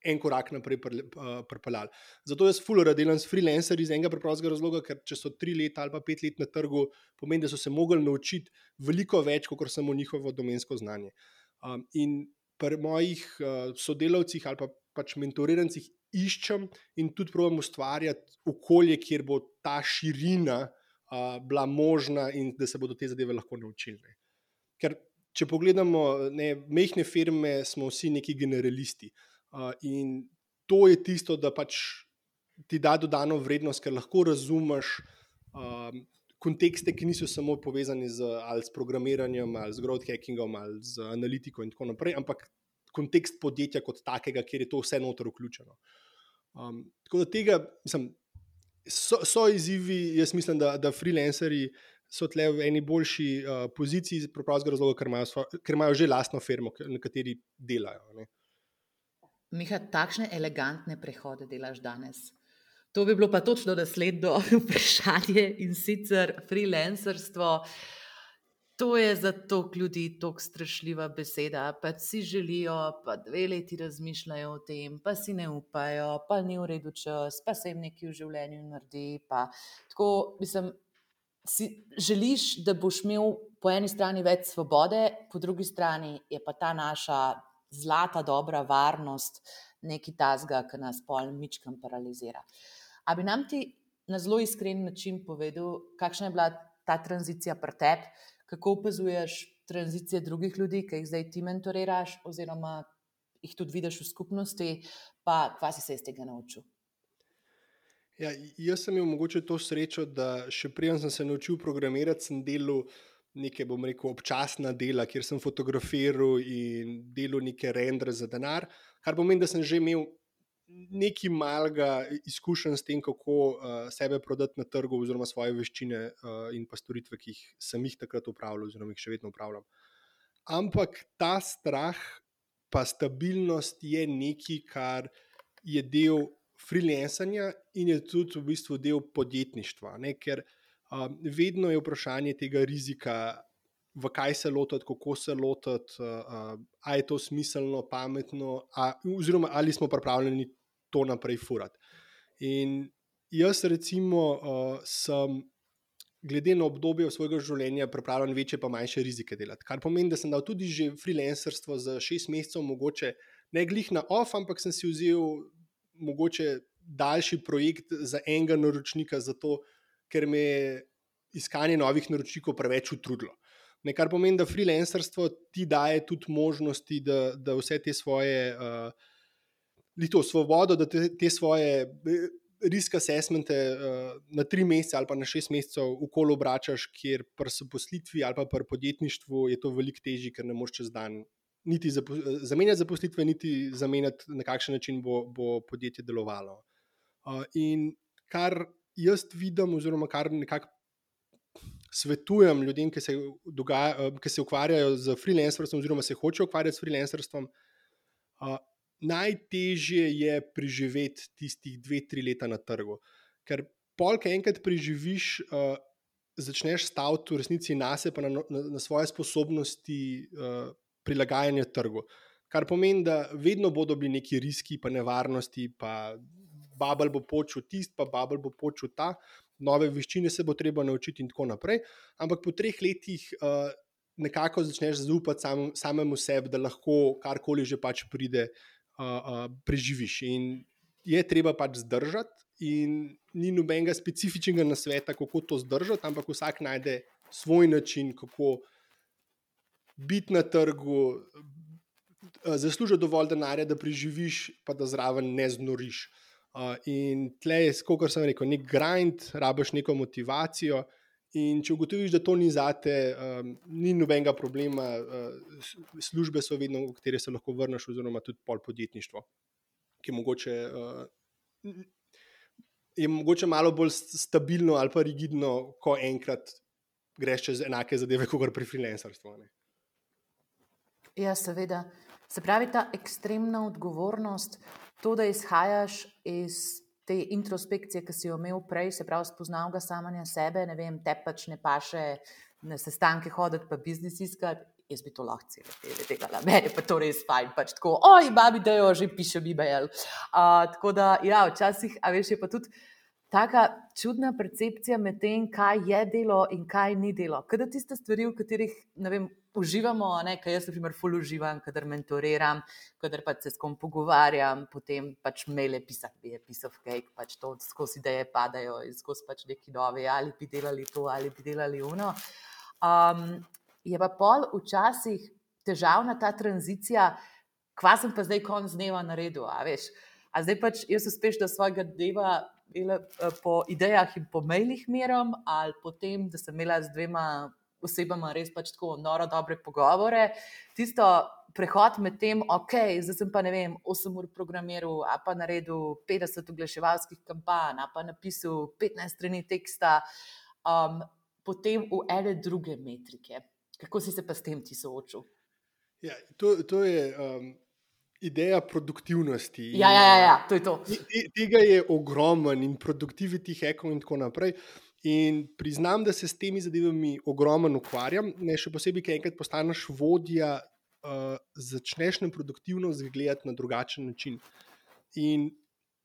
en korak naprej pripeljali. Zato jaz ful rad delam s freelancerji iz enega preprostega razloga, ker če so 3 leta ali pa 5 let na trgu, pomeni, da so se mogli naučiti veliko več, kot samo njihovo domensko znanje. In pri mojih sodelavcih ali pa pač mentorirancih iščem in tudi probam ustvarjati okolje, kjer bo ta širina bila možna in da se bodo te zadeve lahko naučili. Ker če pogledamo, majhne firme, smo vsi neki generalisti. In to je tisto, da pač ti da dodano vrednost, ker lahko razumeš kontekste, ki niso samo povezani ali s programiranjem, ali z growth hackingom, ali z analitiko in tako naprej, ampak kontekst podjetja kot takega, kjer je to vse noter vključeno. Tako da tega, mislim, so izzivi, jaz mislim, da freelancerji so tle v eni boljši poziciji, iz preprostega razloga, ker imajo že lastno firmo, na kateri delajo. Ne. Miha, takšne elegantne prehode delaš danes. To bi bilo pa točno naslednjo vprašanje, in sicer freelancerstvo. To je za toliko ljudi tako strašljiva beseda, pa si želijo, pa 2 leti razmišljajo o tem, pa si ne upajo, pa ni v redu čas, pa se jim nekaj v življenju naredi. Pa tako, mislim, si želiš, da boš imel po eni strani več svobode, po drugi strani je pa ta naša zlata dobra varnost nekaj tazga, ki nas pol mičkam paralizira. A bi nam ti na zelo iskren način povedal, kakšna je bila ta tranzicija pri tebi, kako opazuješ tranzicije drugih ljudi, ki jih zdaj ti mentoriraš, oziroma jih tudi vidiš v skupnosti, pa kva si se iz tega naučil? Ja, jaz sem imel mogoče to srečo, da še preden sem se naučil programirati, sem delal neke, bom rekel, občasna dela, kjer sem fotografiral in delal neke rendre za denar, kar pomeni, da sem že imel nekaj malega izkušenj s tem, kako sebe prodati na trgu, oziroma svoje veščine in pa storitve, ki sem jih takrat upravljal, oziroma jih še vedno upravljam. Ampak ta strah pa stabilnost je nekaj, kar je del freelancanja in je tudi v bistvu del podjetništva, ne? Ker vedno je vprašanje tega rizika, v kaj se lotiti, kako se lotiti, a je to smiselno, pametno, oziroma ali smo pripravljeni to naprej furati. In jaz recimo sem glede na obdobje svojega življenja pripravljen večje pa manjše rizike delati. Kar pomeni, da sem dal tudi že freelancerstvo za 6 mesecev, mogoče ne glih na off, ampak sem si vzel mogoče daljši projekt za enega naročnika, zato ker me je iskanje novih naročnikov preveč utrudilo. Kar pomeni, da freelancerstvo ti daje tudi možnosti, da vse te svoje svobodo, da te svoje risk assessmente na 3 mesece ali pa na 6 mesecev okoli obračaš, kjer pri zaposlitvi ali pa pri podjetništvu je to veliko težje, ker ne moreš čez dan niti zamenjati zaposlitve, niti zamenjati, na kakšen način bo podjetje delovalo. In kar jaz vidim, oziroma kar nekako svetujem ljudem, ki se ukvarjajo z freelancerstvom, oziroma se hočejo ukvarjati s freelancerstvom, najtežje je preživeti tistih 2-3 leta na trgu. Ker polk enkrat preživiš, začneš staviti v resnici nase, pa na svoje sposobnosti prilagajanja trgu. Kar pomeni, da vedno bodo bili neki riski, pa nevarnosti, pa bubble bo počel tisti, pa bubble bo počel ta, nove veščine se bo treba naučiti in tako naprej. Ampak po 3 letih nekako začneš zaupati samemu sebi, da lahko karkoli že pač pride, preživiš. In je treba pač zdržati, in ni nobenega specifičnega nasveta, kako to zdržati, ampak vsak najde svoj način, kako biti na trgu, zaslužiti dovolj denarja, da preživiš, pa da zraven ne znoriš. In tle je, kot sem rekel, nek grind, rabiš neko motivacijo. In če ugotoviš, da to ni zate, ni nobenega problema, službe so vedno, v katere se lahko vrneš, oziroma tudi pol podjetništvo, ki je mogoče malo bolj stabilno ali pa rigidno, ko enkrat greš čez enake zadeve, kot pri freelancerstvu. Ja, seveda. Se pravi, ta ekstremna odgovornost, to, da izhajaš iz te introspekcije, ki si jo imel prej, se pravi, spoznal ga samanja sebe, ne vem, te pač ne paše na sestanke hoditi, pa biznis iskati, jaz bi to lahko celo delala, meni pa to res fajn, pač tako, oj, babi, da jo že pišem e-mail. Tako da, ja, včasih, a veš, je pa tudi taka čudna percepcija med tem, kaj je delo in kaj ni delo. Kada tiste stvari, v katerih, ne vem, uživamo, kaj jaz, na primer, ful uživam, kadar mentoriram, kadar pač se s kom pogovarjam, potem pač maile pisati, je piece of cake, pač to skozi ideje padajo in skozi pač neki novi, ali bi delali to, ali bi delali ono. Je pa pol včasih težavna ta tranzicija, kva sem pa zdaj konc dneva naredil, a veš. A zdaj pač jaz uspešno svojega dneva po idejah in po mailih meram, ali potem, da sem imela z 2 osebama res pač tako noro dobre pogovore. Tisto prehod med tem, ok, zdaj sem pa, ne vem, 8 ur programiral, a pa naredil 50 oglaševalskih kampanj, a pa napisal 15 strani teksta, potem v ene druge metrike. Kako si se pa s tem ti soočil? Ja, to je ideja produktivnosti. Ja, to je to. Tega je ogromen in productivity hackov in tako naprej. In priznam, da se s temi zadevami ogromno ukvarjam, še posebej, ker enkrat postaneš vodja, začneš na produktivnost gledati na drugačen način. In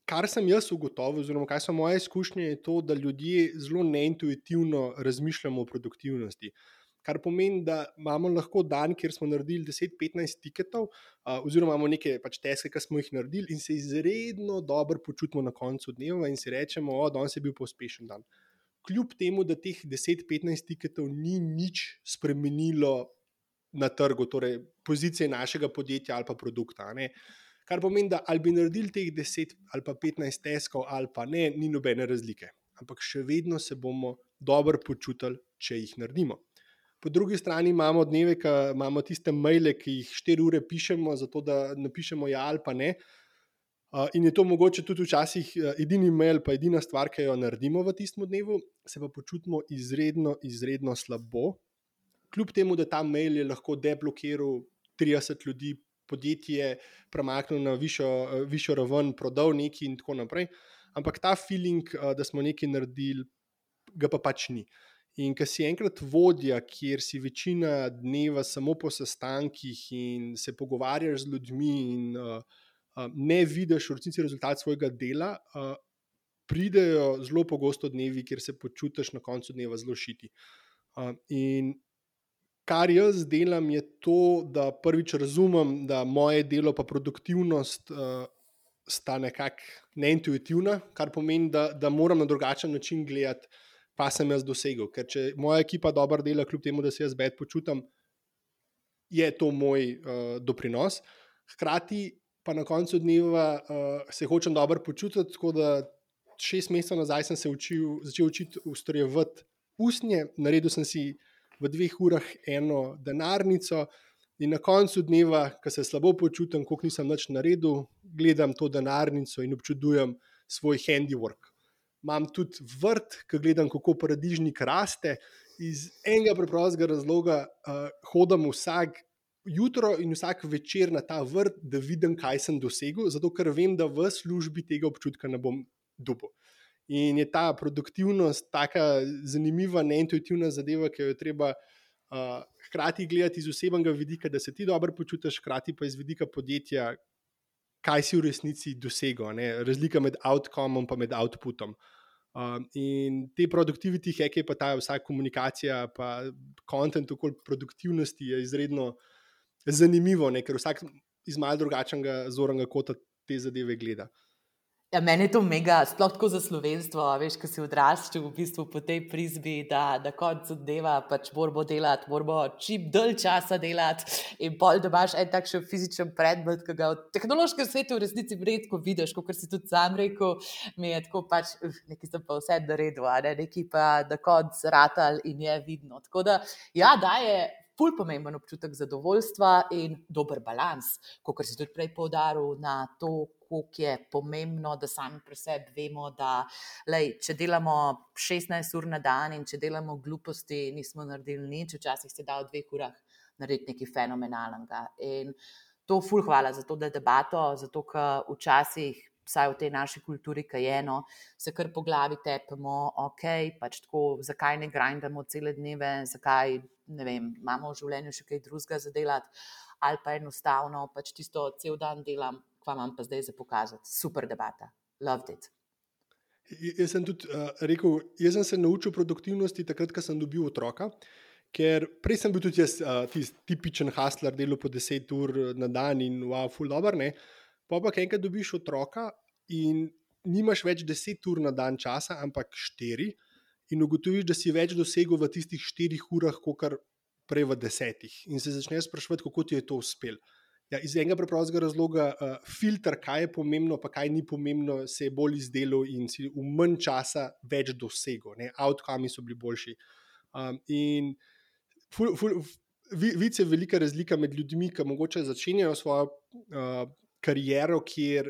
kar sem jaz ugotovil, oziroma kaj so moje izkušnje, je to, da ljudje zelo neintuitivno razmišljamo o produktivnosti. Kar pomeni, da imamo lahko dan, kjer smo naredili 10-15 tiketov, oziroma imamo neke pač taske, ki smo jih naredili, in se izredno dobro počutimo na koncu dneva in si rečemo, danes je bil pa uspešen dan. Kljub temu, da teh 10-15 tiketov ni nič spremenilo na trgu, torej pozicije našega podjetja ali pa produkta. Kar pomeni, da ali bi naredili teh 10 ali pa 15 taskov ali pa ne, ni nobene razlike. Ampak še vedno se bomo dobro počutili, če jih naredimo. Po drugi strani imamo dneve, ki imamo tiste maile, ki jih 4 ure pišemo, zato da napišemo ja ali pa ne. In je to mogoče tudi včasih edini mail, pa edina stvar, ki jo naredimo v tistem dnevu, se pa počutimo izredno, izredno slabo. Kljub temu, da ta mail je lahko deblokiral 30 ljudi, podjetje premaknil na višjo raven, prodal nekaj in tako naprej. Ampak ta feeling, da smo nekaj naredili, ga pa pač ni. In ko si enkrat vodja, kjer si večina dneva samo po sestankih in se pogovarjaš z ljudmi in ne vidiš v resnici rezultat svojega dela, pridejo zelo pogosto dnevi, kjer se počutiš na koncu dneva zelo šiti. In kar jaz delam, je to, da prvič razumem, da moje delo pa produktivnost sta nekako neintuitivna, kar pomeni, da moram na drugačen način gledati, pa sem jaz dosegel. Ker če moja ekipa dobro dela, kljub temu, da se jaz bed počutim, je to moj doprinos. Hkrati pa na koncu dneva se hočem dobro počutiti, tako da 6 mesecev nazaj sem se začel učiti ustrojevati usnje, naredil sem si v 2 urah eno denarnico in na koncu dneva, ko se slabo počutim, koliko nisem nič naredil, gledam to denarnico in občudujem svoj handiwork. Imam tudi vrt, ko gledam, kako paradižnik raste, iz enega preprostega razloga hodim vsak jutro in vsak večer na ta vrt, da vidim, kaj sem dosegel, zato ker vem, da v službi tega občutka ne bom dobil. In je ta produktivnost taka zanimiva, neintuitivna zadeva, ki jo je treba hkrati gledati iz osebnega vidika, da se ti dobro počutiš, hkrati pa iz vidika podjetja, kaj si v resnici dosegel, ne? Razlika med outcomom pa med outputom. In te productivity hacke, pa ta vsa komunikacija, pa content okoli produktivnosti je izredno zanimivo, ne? Ker vsak iz malo drugačnega zornega kota te zadeve gleda. Ja, meni je to mega, sploh tako za slovenstvo, veš, ko si odraščal v bistvu po tej prizbi, da koncu dneva pač moramo delati, moramo čim dalj časa delati in pol, da imaš en takšen fizičen predmet, ki ga v tehnološkem svetu v resnici redko vidiš, kot si tudi sam rekel, mi je tako pač, nekaj sem pa vse naredil, nekaj pa na koncu ratal in je vidno. Tako da, ja, daje ful pomemben občutek zadovoljstva in dober balans, kot si tudi prej poudaril na to, koliko je pomembno, da sami pri sebi vemo, da če delamo 16 ur na dan in če delamo gluposti, nismo naredili nič, včasih se da v 2 urah narediti nekaj fenomenalnega. In to ful hvala za to debato, zato ker včasih, vsaj v tej naši kulturi, ki je eno, se kar po glavi tepemo, pač tako, zakaj ne grindamo cele dneve, zakaj, ne vem, imamo v življenju še kaj drugega za delati, ali pa enostavno pač tisto cel dan delam, kva imam pa zdaj za pokazati. Super debata, loved it. Jaz sem tudi rekel, jaz sem se naučil produktivnosti takrat, ko sem dobil otroka, ker prej sem bil tudi jaz tipičen hustler, delal po 10 ur na dan in wow, ful dober, ne. Pa enkrat dobiš otroka in nimaš več 10 ur na dan časa, ampak 4 in ugotoviš, da si več dosegel v tistih 4 urah, kakor prej v 10. In se začneš spraševati, kako ti je to uspelo. Ja, iz enega preprostega razloga filter, kaj je pomembno, pa kaj ni pomembno, se je bolj izdelal in si v manj časa več dosegel. Outcomi so bili boljši. In vidiš, je velika razlika med ljudmi, ki mogoče začenjajo svojo kariero, kjer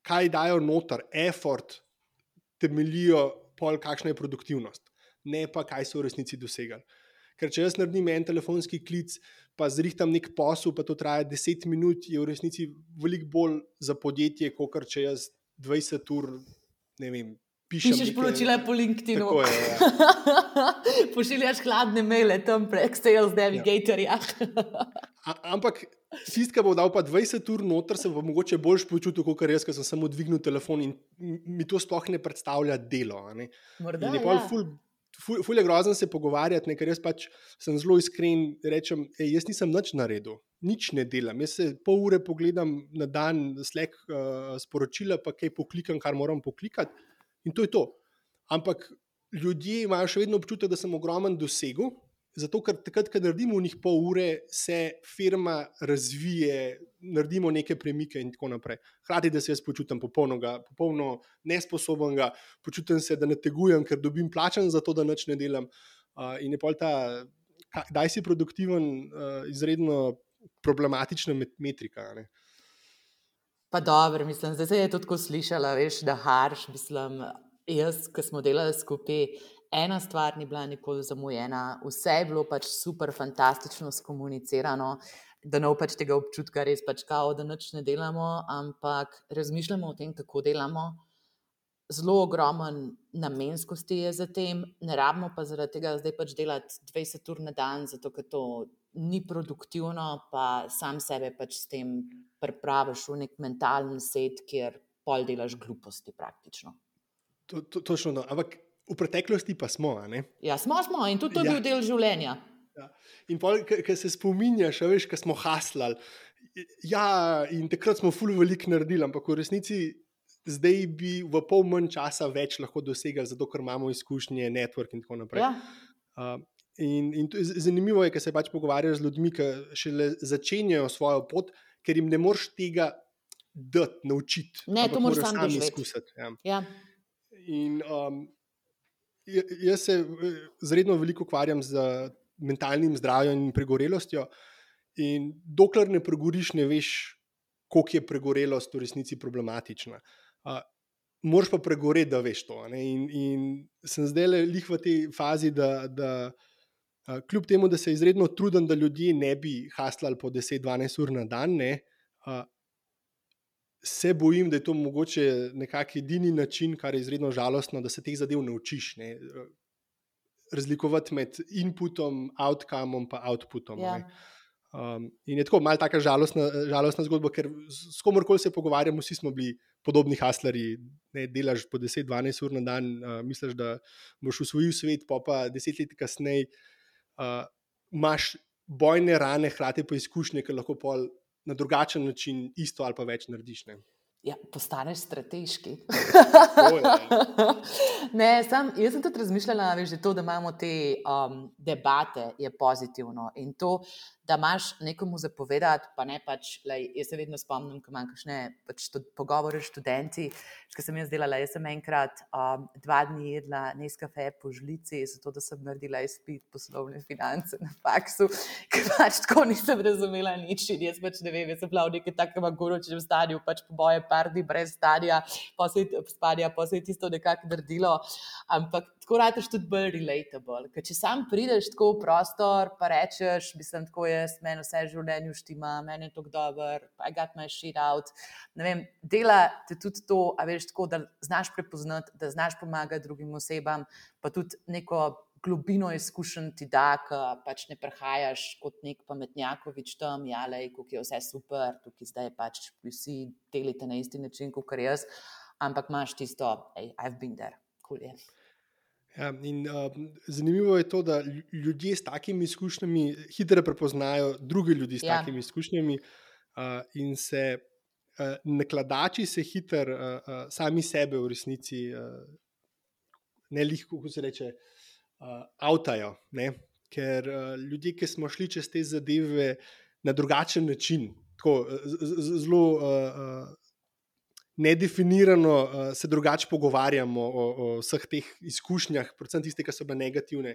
kaj dajo noter, effort, temeljijo pol, kakšna je produktivnost, ne pa kaj so v resnici dosegali. Ker če jaz naredim en telefonski klic, pa zrihtam nek posel, pa to traja 10 minut, je v resnici veliko bolj za podjetje, kot če jaz 20 ur, ne vem, pišeš poročila po LinkedInu. Tako je, ja. Pošiljaš hladne maile tam prek Sales Navigatorja. Ampak tisti, ki bo dal pa 20 ur noter, se bo mogoče bolj počutil, kot jaz, ki sem samo dvignil telefon in mi to sploh ne predstavlja delo. Morda, in je pol ful je grozno se pogovarjati, ker jaz pač sem zelo iskren, rečem, jaz nisem nič naredil, nič ne delam. Jaz se pol ure pogledam na dan Slack sporočila, pa kaj poklikam, kar moram poklikati. In to je to. Ampak ljudje imajo še vedno občutek, da sem ogromen dosegel, zato ker takrat, ko naredimo v njih pol ure, se firma razvije, naredimo neke premike in tako naprej. Hkrati, da se jaz počutim popolno nesposobnega, počutim se, da ne tegujem, ker dobim plačan za to, da nič ne delam. In je pol ta, daj si produktiven, izredno problematična metrika, ne. Pa dobro, mislim, zdaj se je to tako slišala, veš, da harš, mislim, jaz, ko smo delali skupaj, ena stvar ni bila nikoli zamujena, vse je bilo pač super, fantastično skomunicirano, da ne bo pač tega občutka res pač kao, da nič ne delamo, ampak razmišljamo o tem, kako delamo, zelo ogromen namenskosti je za tem, ne rabimo pa zaradi tega zdaj pač delati 20 ur na dan, zato ker to ni produktivno, pa sam sebe pač s tem pripraviš v nek mentalni set, kjer pol delaš gluposti praktično. Točno, no. Ampak v preteklosti pa smo. Ja, smo in tudi to je bil del življenja. Ja. In ko se spominjaš, veš, ko smo haslali. Ja, in takrat smo ful veliko naredili, ampak v resnici zdaj bi v pol manj časa več lahko dosegali, zato ker imamo izkušnje, network in tako naprej. Ja. In zanimivo je, ker se pač pogovarjaš z ljudmi, ki šele začenjajo svojo pot, ker jim ne moreš tega dati, naučiti. Ne, to moraš sam sami doživeti. izkusiti. Ja. Ja. In jaz se zredno veliko ukvarjam z mentalnim zdravjem in pregorelostjo. In dokler ne pregoriš, ne veš, koliko je pregorelost v resnici problematična. Moraš pa pregoreti, da veš to. In sem zdaj lih v tej fazi, da kljub temu, da se izredno trudim, da ljudje ne bi haslali po 10-12 ur na dan, se bojim, da je to mogoče nekak edini način, kar je izredno žalostno, da se teh zadev naučiš. Razlikovati med inputom, outcomeom pa outputom. Ja. In je tako malo taka žalostna zgodba, ker s komorkoli se pogovarjam, vsi smo bili podobni haslarji. Delaš po 10-12 ur na dan, misliš, da boš usvojil svet, pa 10 let kasneje imaš bojne rane, hkrati pa izkušnje, ki lahko pol na drugačen način isto ali pa več narediš. Ja, postaneš strateški. Ne, jaz sem tudi razmišljala, že to, da imamo te debate, je pozitivno. In to, da imaš nekomu zapovedati, pa ne pač, jaz se vedno spomnim, ko imam kakšne pogovore s študenti, ki sem jaz delala. Jaz sem enkrat 2 dni jedla Nescafe po žlici, zato da sem naredila izpit poslovne finance na faksu, ker pač tako nisem razumela nič. In jaz pač ne vem, jaz sem bila v nekem takem agoročnem stadiju, pač po boje par dni brez stadija, pa se je tisto nekako naredilo. Ampak tako rataš tudi bolj relatable. Ker če sam prideš tako v prostor, pa rečeš, mislim, tako jaz, meni vse v življenju štima, meni je tako dober, I got my shit out. Ne vem, dela te tudi to, a veš, tako, da znaš prepoznati, da znaš pomagati drugim osebam, pa tudi neko globino izkušenj ti da, ki pač ne prehajaš kot nek pametnjakovič tam, kako je vse super, tukaj zdaj pač vsi delite na isti način, kot jaz, ampak imaš tisto, hey, I've been there, cool je. Ja, in zanimivo je to, da ljudje s takimi izkušnjami hitro prepoznajo druge ljudi s takimi izkušnjami in se nakladači se hitro sami sebe v resnici ne lihko, kako se reče, avtajo, ker ljudje, ki smo šli čez te zadeve na drugačen način, tako zelo nedefinirano se drugače pogovarjamo o vseh teh izkušnjah, predvsem tiste, ki so bile negativne.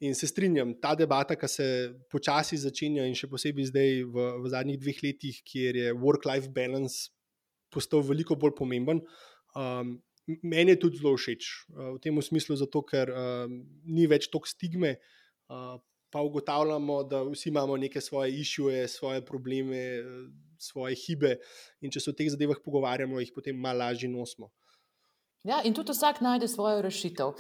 In se strinjam, ta debata, ki se počasi začenja in še posebej zdaj v zadnjih 2 letih, kjer je work-life balance postal veliko bolj pomemben, meni je tudi zelo všeč. V tem smislu zato, ker ni več toliko stigme, pa ugotavljamo, da vsi imamo neke svoje issue, svoje probleme, svoje hibe in če se o teh zadevah pogovarjamo, jih potem malo lažje nosimo. Ja, in tudi vsak najde svojo rešitev.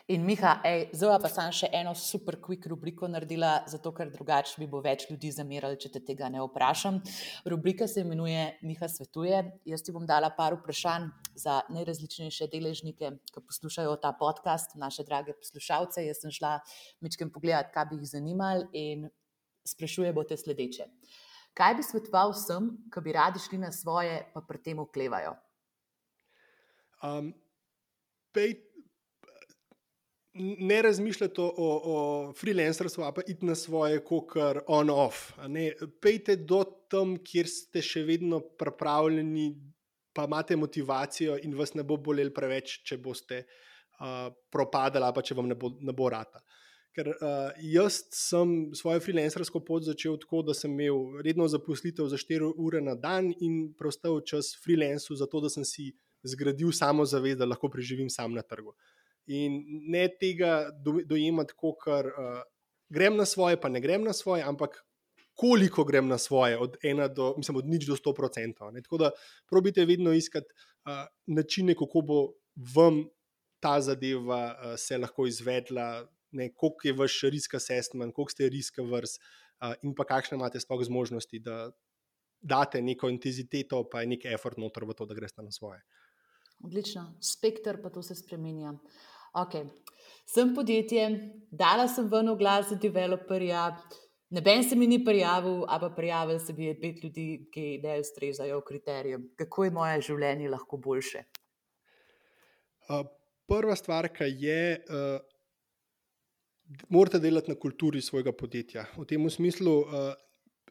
In Miha, zdaj pa sem še eno super quick rubriko naredila, zato ker drugače mi bo več ljudi zamerali, če te tega ne vprašam. Rubrika se imenuje Miha svetuje. Jaz ti bom dala par vprašanj za najrazličnejše deležnike, ki poslušajo ta podcast, naše drage poslušalce. Jaz sem šla mičkem pogledati, kaj bi jih zanimali in sprašuje bote sledeče. Kaj bi svetoval vsem, ki bi radi šli na svoje, pa pri tem oklevajo? Ne razmišljate o freelancerstvu, pa iti na svoje, kokar on-off. Pejte do tam, kjer ste še vedno pripravljeni, pa imate motivacijo in vas ne bo bolelo preveč, če boste propadali, pa če vam ne bo rata. Ker jaz sem svojo freelancersko pot začel tako, da sem imel redno zaposlitev za 4 ure na dan in preostal čas freelancu, zato da sem si zgradil samozavest, da lahko preživim sam na trgu. In ne tega dojemati, ker grem na svoje, pa ne grem na svoje, ampak koliko grem na svoje, od 0 do 100%. Tako da probite vedno iskati načine, kako bo vam ta zadeva se lahko izvedla, koliko je vaš risk assessment, koliko ste risk averse in pa kakšne imate sploh zmožnosti, da date neko intenziteto, pa nek effort noter v to, da greste na svoje. Odlično. Spekter pa to se spremenja. Ok. Sem podjetje, dala sem ven oglas za developerja, noben se mi ni prijavil, a pa prijavili se bi 5 ljudi, ki ne ustrezajo kriterijem. Kako je moje življenje lahko boljše? Prva stvar, ki je, morate delati na kulturi svojega podjetja. V tem smislu,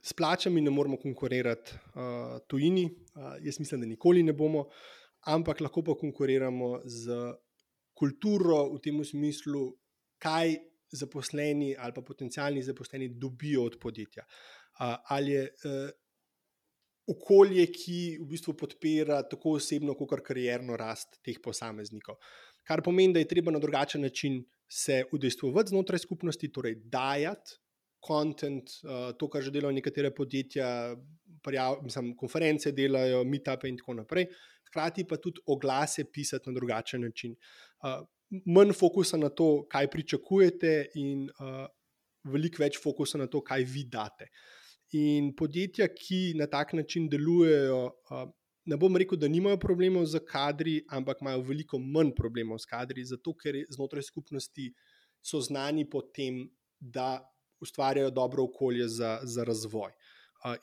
s plačami ne moremo konkurirati tujini, jaz mislim, da nikoli ne bomo, ampak lahko pa konkuriramo z kulturo v tem smislu, kaj zaposleni ali pa potencialni zaposleni dobijo od podjetja. Ali je okolje, ki v bistvu podpira tako osebno, kot karierno rast teh posameznikov. Kar pomeni, da je treba na drugačen način se udejstvovati znotraj skupnosti, torej dajati content, to, kar že delajo nekatere podjetja, konference delajo, meetupe in tako naprej. Hkrati pa tudi oglase pisati na drugačen način. Manj fokusa na to, kaj pričakujete, in veliko več fokusa na to, kaj vi date. In podjetja, ki na tak način delujejo, ne bom rekel, da nimajo problemov z kadri, ampak imajo veliko manj problemov s kadri, zato ker znotraj skupnosti so znani po tem, da ustvarjajo dobro okolje za razvoj.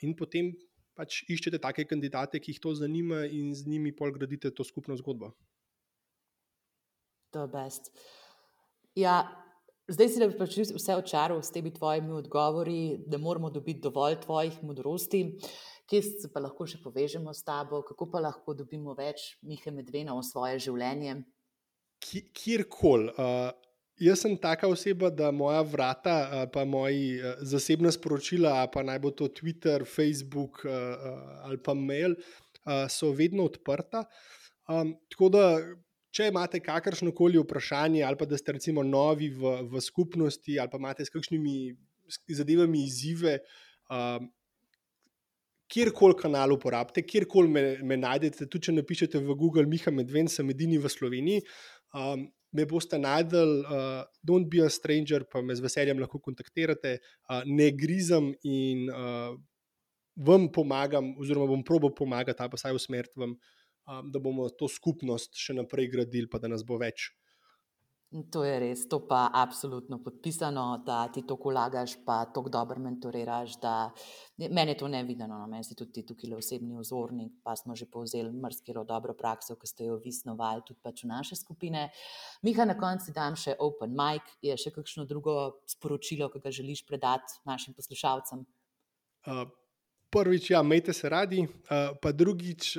In potem pač iščete take kandidate, ki jih to zanima, in z njimi pol gradite to skupno zgodbo. To je best. Ja, zdaj si da bi pač vse očaral s temi tvojimi odgovori, da moramo dobiti dovolj tvojih modrosti. Kje se pa lahko še povežemo s tabo? Kako pa lahko dobimo več Mihe Medvena v svoje življenje? Kjerkoli. Jaz sem taka oseba, da moja vrata, pa moji zasebna sporočila, pa naj bo to Twitter, Facebook ali pa mail, so vedno odprta. Tako da, če imate kakršnokoli vprašanje, ali pa da ste recimo novi v skupnosti, ali pa imate s kakšnimi zadevami izzive, kjerkoli kanal uporabite, kjerkoli me najdete, tudi če napišete v Google Miha Medven, sem edini v Sloveniji, me boste najdel, don't be a stranger, pa me z veseljem lahko kontaktirate, ne grizem in vam pomagam, oziroma bom probal pomagati, ali pa vsaj usmeriti vam, da bomo to skupnost še naprej gradili, pa da nas bo več. To je res, to pa absolutno podpisano, da ti toliko vlagaš, pa toliko dobro mentoriraš, da meni je to nevideno, no? Meni si tudi ti tukaj osebni vzornik, pa smo že povzeli marsikero dobro prakso, ki ste jo vi snovali tudi pač v naše skupine. Miha, na koncu dam še open mic, je še kakšno drugo sporočilo, ki ga želiš predati našim poslušalcem? Prvič, ja, imejte se radi, pa drugič,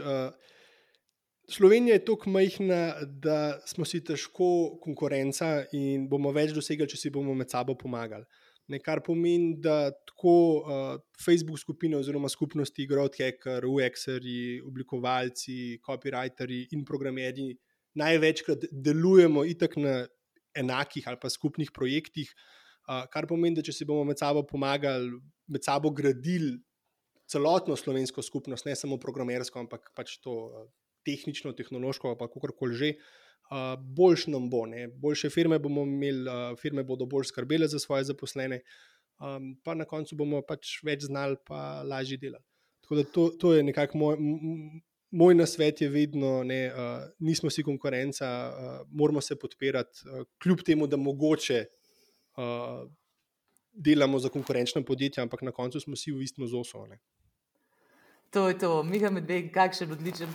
Slovenija je toliko majhna, da smo si težko konkurenca in bomo več dosegli, če si bomo med sabo pomagali. Kar pomeni, da tako Facebook skupine oziroma skupnosti Growth Hacker, UX-erji, oblikovalci, copywriteri in programerji največkrat delujemo itak na enakih ali pa skupnih projektih, kar pomeni, da če si bomo med sabo pomagali, med sabo gradili celotno slovensko skupnost, ne samo programersko, ampak pač to tehnično, tehnološko, pa kakorkoli že, boljše nam bo. Boljše firme bomo imeli, firme bodo bolj skrbele za svoje zaposlene, pa na koncu bomo pač več znali, pa lažje delali. Tako da to je nekako moj nasvet je vedno, nismo si konkurenca, moramo se podpirati, kljub temu, da mogoče delamo za konkurenčna podjetja, ampak na koncu smo vsi v istem zosu. To je to, Miha Medven, kakšen odličen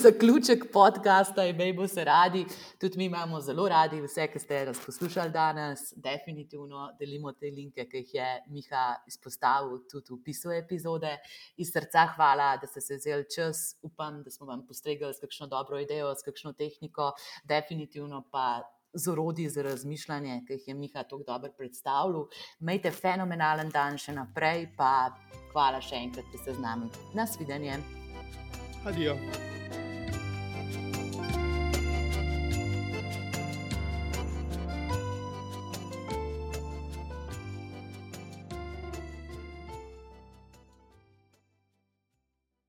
zaključek podcasta, imejmo se radi, tudi mi imamo zelo radi vse, ki ste nas poslušali danes, definitivno delimo te linke, ki jih je Miha izpostavil tudi v opisu epizode. Iz srca hvala, da ste se vzeli čas, upam, da smo vam postregli s kakšno dobro idejo, s kakšno tehniko, definitivno pa z orodji za razmišljanje, ki jih je Miha tako dobro predstavljal. Imejte fenomenalen dan še naprej, pa hvala še enkrat, da ste z nami. Nasvidenje. Adijo.